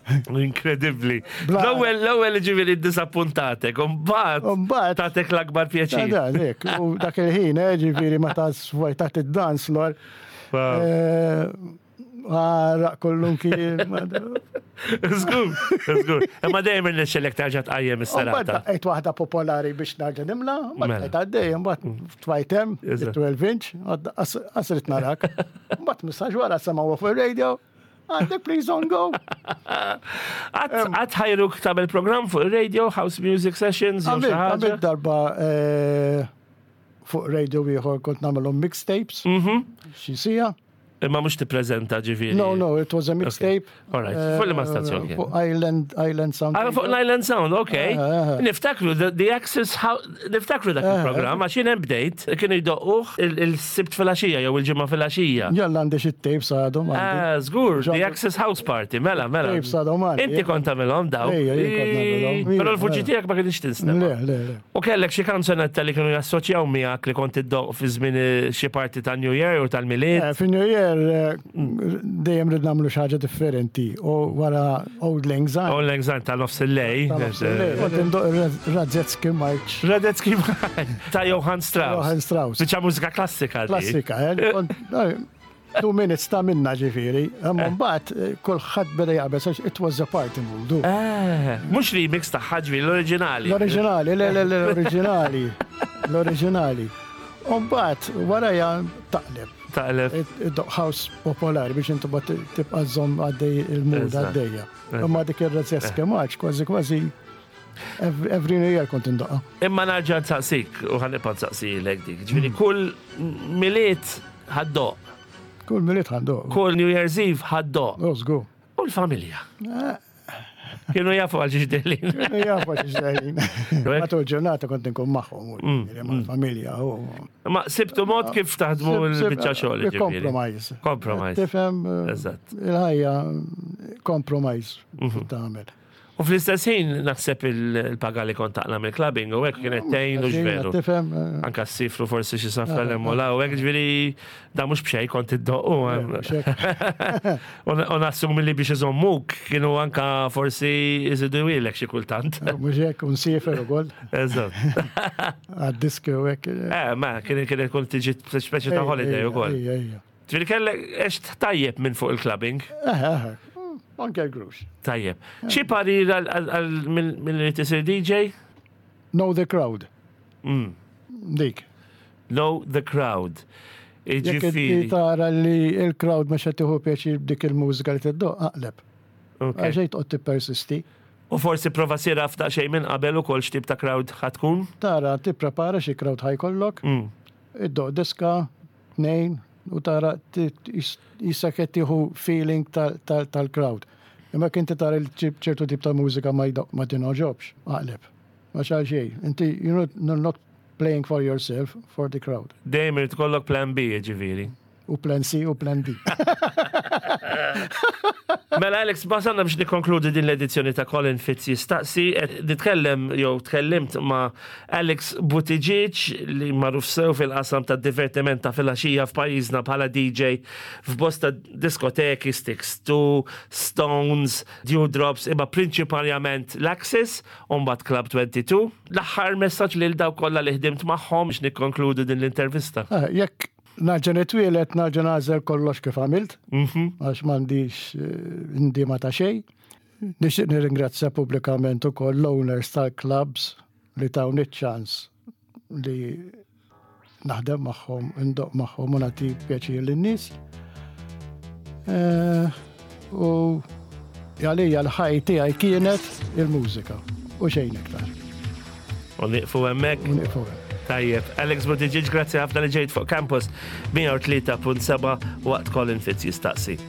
S1: Inkredibbli.
S2: Bla-
S1: L-ewwel l-ewwel ġifieri ddisappuntatek, u mbagħad
S2: U mbagħad
S1: tatek l-akbar pjaċir.
S2: Da, dik, u dak il-ħin, eh, ġifieri meta svojtat id-dance floor.
S1: Wow.
S2: eh, Għaraq kollum kien.
S1: Żgur, żgur. Imma dejjem irnexxelek terġa' tqajjem
S2: Mbagħad
S1: is-serata.
S2: daqqejt waħda popolari biex narġa' nimla, mbagħad
S1: Mela.
S2: bqajt għaddej, mbagħad twajtem,
S1: Eżatt.
S2: twelve inch, qasrit narak. Mbagħad messaġġ wara semgħu fuq il-radio, għandek Please Don't Go.
S1: Għad ħajruk tagħmel program fuq il-radio, House Music Sessions, jew xi
S2: Għamilt
S1: ħaġa?
S2: għamilt darba eh, fuq radio ieħor kont nagħmelhom mixtapes,
S1: Mhm.
S2: xi sija.
S1: Imma mhux tippreżenta, ġifieri.
S2: No, no, it was a mixtape.
S1: All right. Fuq liema stazzjon kien?
S2: Fuq Island, Island Sound.
S1: Ah, fuq l-Island Sound, ok.
S2: Ah, ah, ah.
S1: Niftakru, the, the Access House, niftakru dak il-programm, għax jien hemm bdejt, kienu jdoqquh il-Sibt filgħaxija jew il-Ġimgħa filgħaxija.
S2: Jalla, għandi xi tapes għadhom għandi.
S1: Ah, żgur, The
S2: Ġo-
S1: Access House Party, mela, mela.
S2: Tapes għadhom għandi.
S1: Inti kont tagħmilhom daw.
S2: Ejja, jien kont nagħmilhom.
S1: Però l-vuċi tiegħek ma kienx tinstema'.
S2: Le, le, le.
S1: U kellek xi kanzonetta li kienu jassoċjaw miegħek li kont iddoq fi żmien eh, xi parti ta' New Year u tal-Milied?
S2: Eh, Fi New Year eh, dejjem rid nagħmlu xi ħaġa differenti u wara Auld Lang Syne.
S1: Auld Lang Syne ta' nofs il-lejl.
S2: Kont indoq Radetzky March.
S1: Radetzky ta' Johann Strauss.
S2: Johann Strauss.
S1: Biċċa mużika klassika di.
S2: Klassika, eh? Kont- eh, Two minutes ta' minna, ġifieri. Imma mbagħad eh, kulħadd beda jaqbeż għax it was a party mood.
S1: Eh, mhux remix ta' ħaġvi, l-oriġinali.
S2: L-oriġinali, le, le, le, l-oriġinali. L-oriġinali. U mbagħad wara taqleb.
S1: Taqleb.
S2: Id house popolari biex inti bat tibqa' żomm għaddej il-mood
S1: Eżatt.
S2: għaddejja. Imma dik ir-Radetzky March kważi kważi every every New Year kont indoqqa.
S1: Imma nerġa' nsaqsik u ħa nibqa' nsaqsilek dik. Ġifieri kull Milied ħa ddoqq,
S2: Kull Milied ħa ndoqq.
S1: kull New Year's Eve ħa ddoqq.
S2: Oh, żgur.
S1: U l-familja? Kienu jafu għal xiex deħlin.
S2: Jafu xiex deħlin. Matul ġurnata kont nkun magħhom, mal-familja. u-
S1: Ma sibtu mod kif taħdmu l-biċċa xogħol, ġifieri.
S2: Compromise.
S1: Compromise.
S2: Tifhem, eh,
S1: Eżatt.
S2: il-ħajja compromise tagħmel.
S1: U fl-istess ħin naħseb il-paga li kont taqla' mill-clubbing u hekk kienet tgħin u veru.
S2: Tifhem, eh,
S1: Anka s-sifru forsi xi safra l-emmola u hekk, ġifieri da mhux b'xejn kont iddoqqu.
S2: mhux hekk.
S1: U nassumi li biex iżommuk kienu anka forsi iżidu ilek xi kultant.
S2: Mhux hekk, unsiefer ukoll
S1: Eżatt.
S2: għad-diski u hekk.
S1: Eh, ma kien kien kont tiġi speċi ta' holiday ukoll.
S2: Ejja, ejja.
S1: Ġifieri kellek għext tajjeb minn fuq il-clubbing.
S2: Eh, eh, anke l-grux.
S1: Tajjeb. Xi parir għal- għal min li tisir D J?
S2: Know the crowd.
S1: Mm.
S2: Dik.
S1: Know the crowd.
S2: Jekk inti
S1: Ġifieri.
S2: tara li il-crowd mhux qed tieħu pjaċir b'dik il-mużika li tiddoq, aqleb.
S1: Ok.
S2: Għaxej toqgħod tippersisti.
S1: U forsi prova sir af xejn minn qabel ukoll x'tip ta' crowd ħa tkun.
S2: Tara, tipprepara xi crowd ħa jkollok,
S1: Mm.
S2: iddoq diska, tnejn, u tara jissa qed tieħu feeling tal-crowd. Imma inti tara li ċertu tip ta' mużika ma jdoq ma tingħoġobx, aqleb. Ma xal xejn. Inti you're not, you're not playing for yourself, for the crowd.
S1: Dejjem irid ikollok plan B, ġifieri.
S2: U plan C u plan D.
S1: Mela Alex, wasalna biex nikkonkludi din l-edizzjoni ta' Colin Fitz Jistaqsi. Qed nitkellem jew tkellimt ma' Alex Buttigieg li magħruf sew fil-qasam ta' divertiment ta' filgħaxija f'pajjiżna bħala D J f'bosta diskoteki, Sticks two, Stones, Dewdrops, imma prinċipalment l-Axis, u mbagħad Club twenty-two. L-aħħar messaġġ lil dawk kollha li ħdimt magħhom biex nikkonkludu din l-intervista.
S2: Ah, jekk nerġa' nitwieled, nerġa' nagħżel kollox kif għamilt,
S1: Mhm.
S2: għax m'għandix eh, ndima ta' xejn. Nixtieq nirringrazzja pubblikament ukoll l-owners tal-clubs li tawni ċans li naħdem magħhom, indoq magħhom u nagħti pjaċir lin-nies. Eh, U għalija l-ħajja tiegħi kienet il-mużika u xejn iktar.
S1: U nieqfu hemmhekk.
S2: U nieqfu hemm.
S1: Tajjeb. Alex Buttigieg, grazzi ħafna li ġejt fuq Campus mija u tlieta punt seba' waqt Colin Fitz Jistaqsi.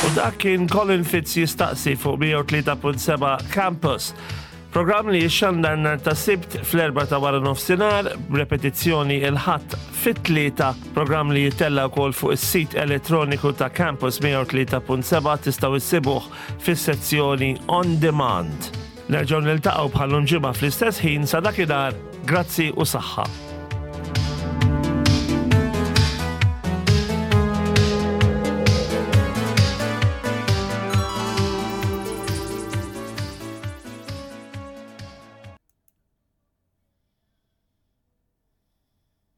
S1: U dak kien Colin Fitz Jistaqsi fuq mija u tlieta punt seba' Campus. Programm li jixxandar nhar ta' Sibt fl-erba ta' wara nofsinhar, repetizzjoni il-Ħadd fit-tlieta, programm li jittella wkoll fuq is-sit elettroniku ta' Campus mija u tlieta punt seba', tistgħu issibuh fis-sezzjoni On Demand. Nerġgħu niltaqgħu bħal ġimgħa fl-istess ħin. Sa dakinhar, grazzi u saħħa.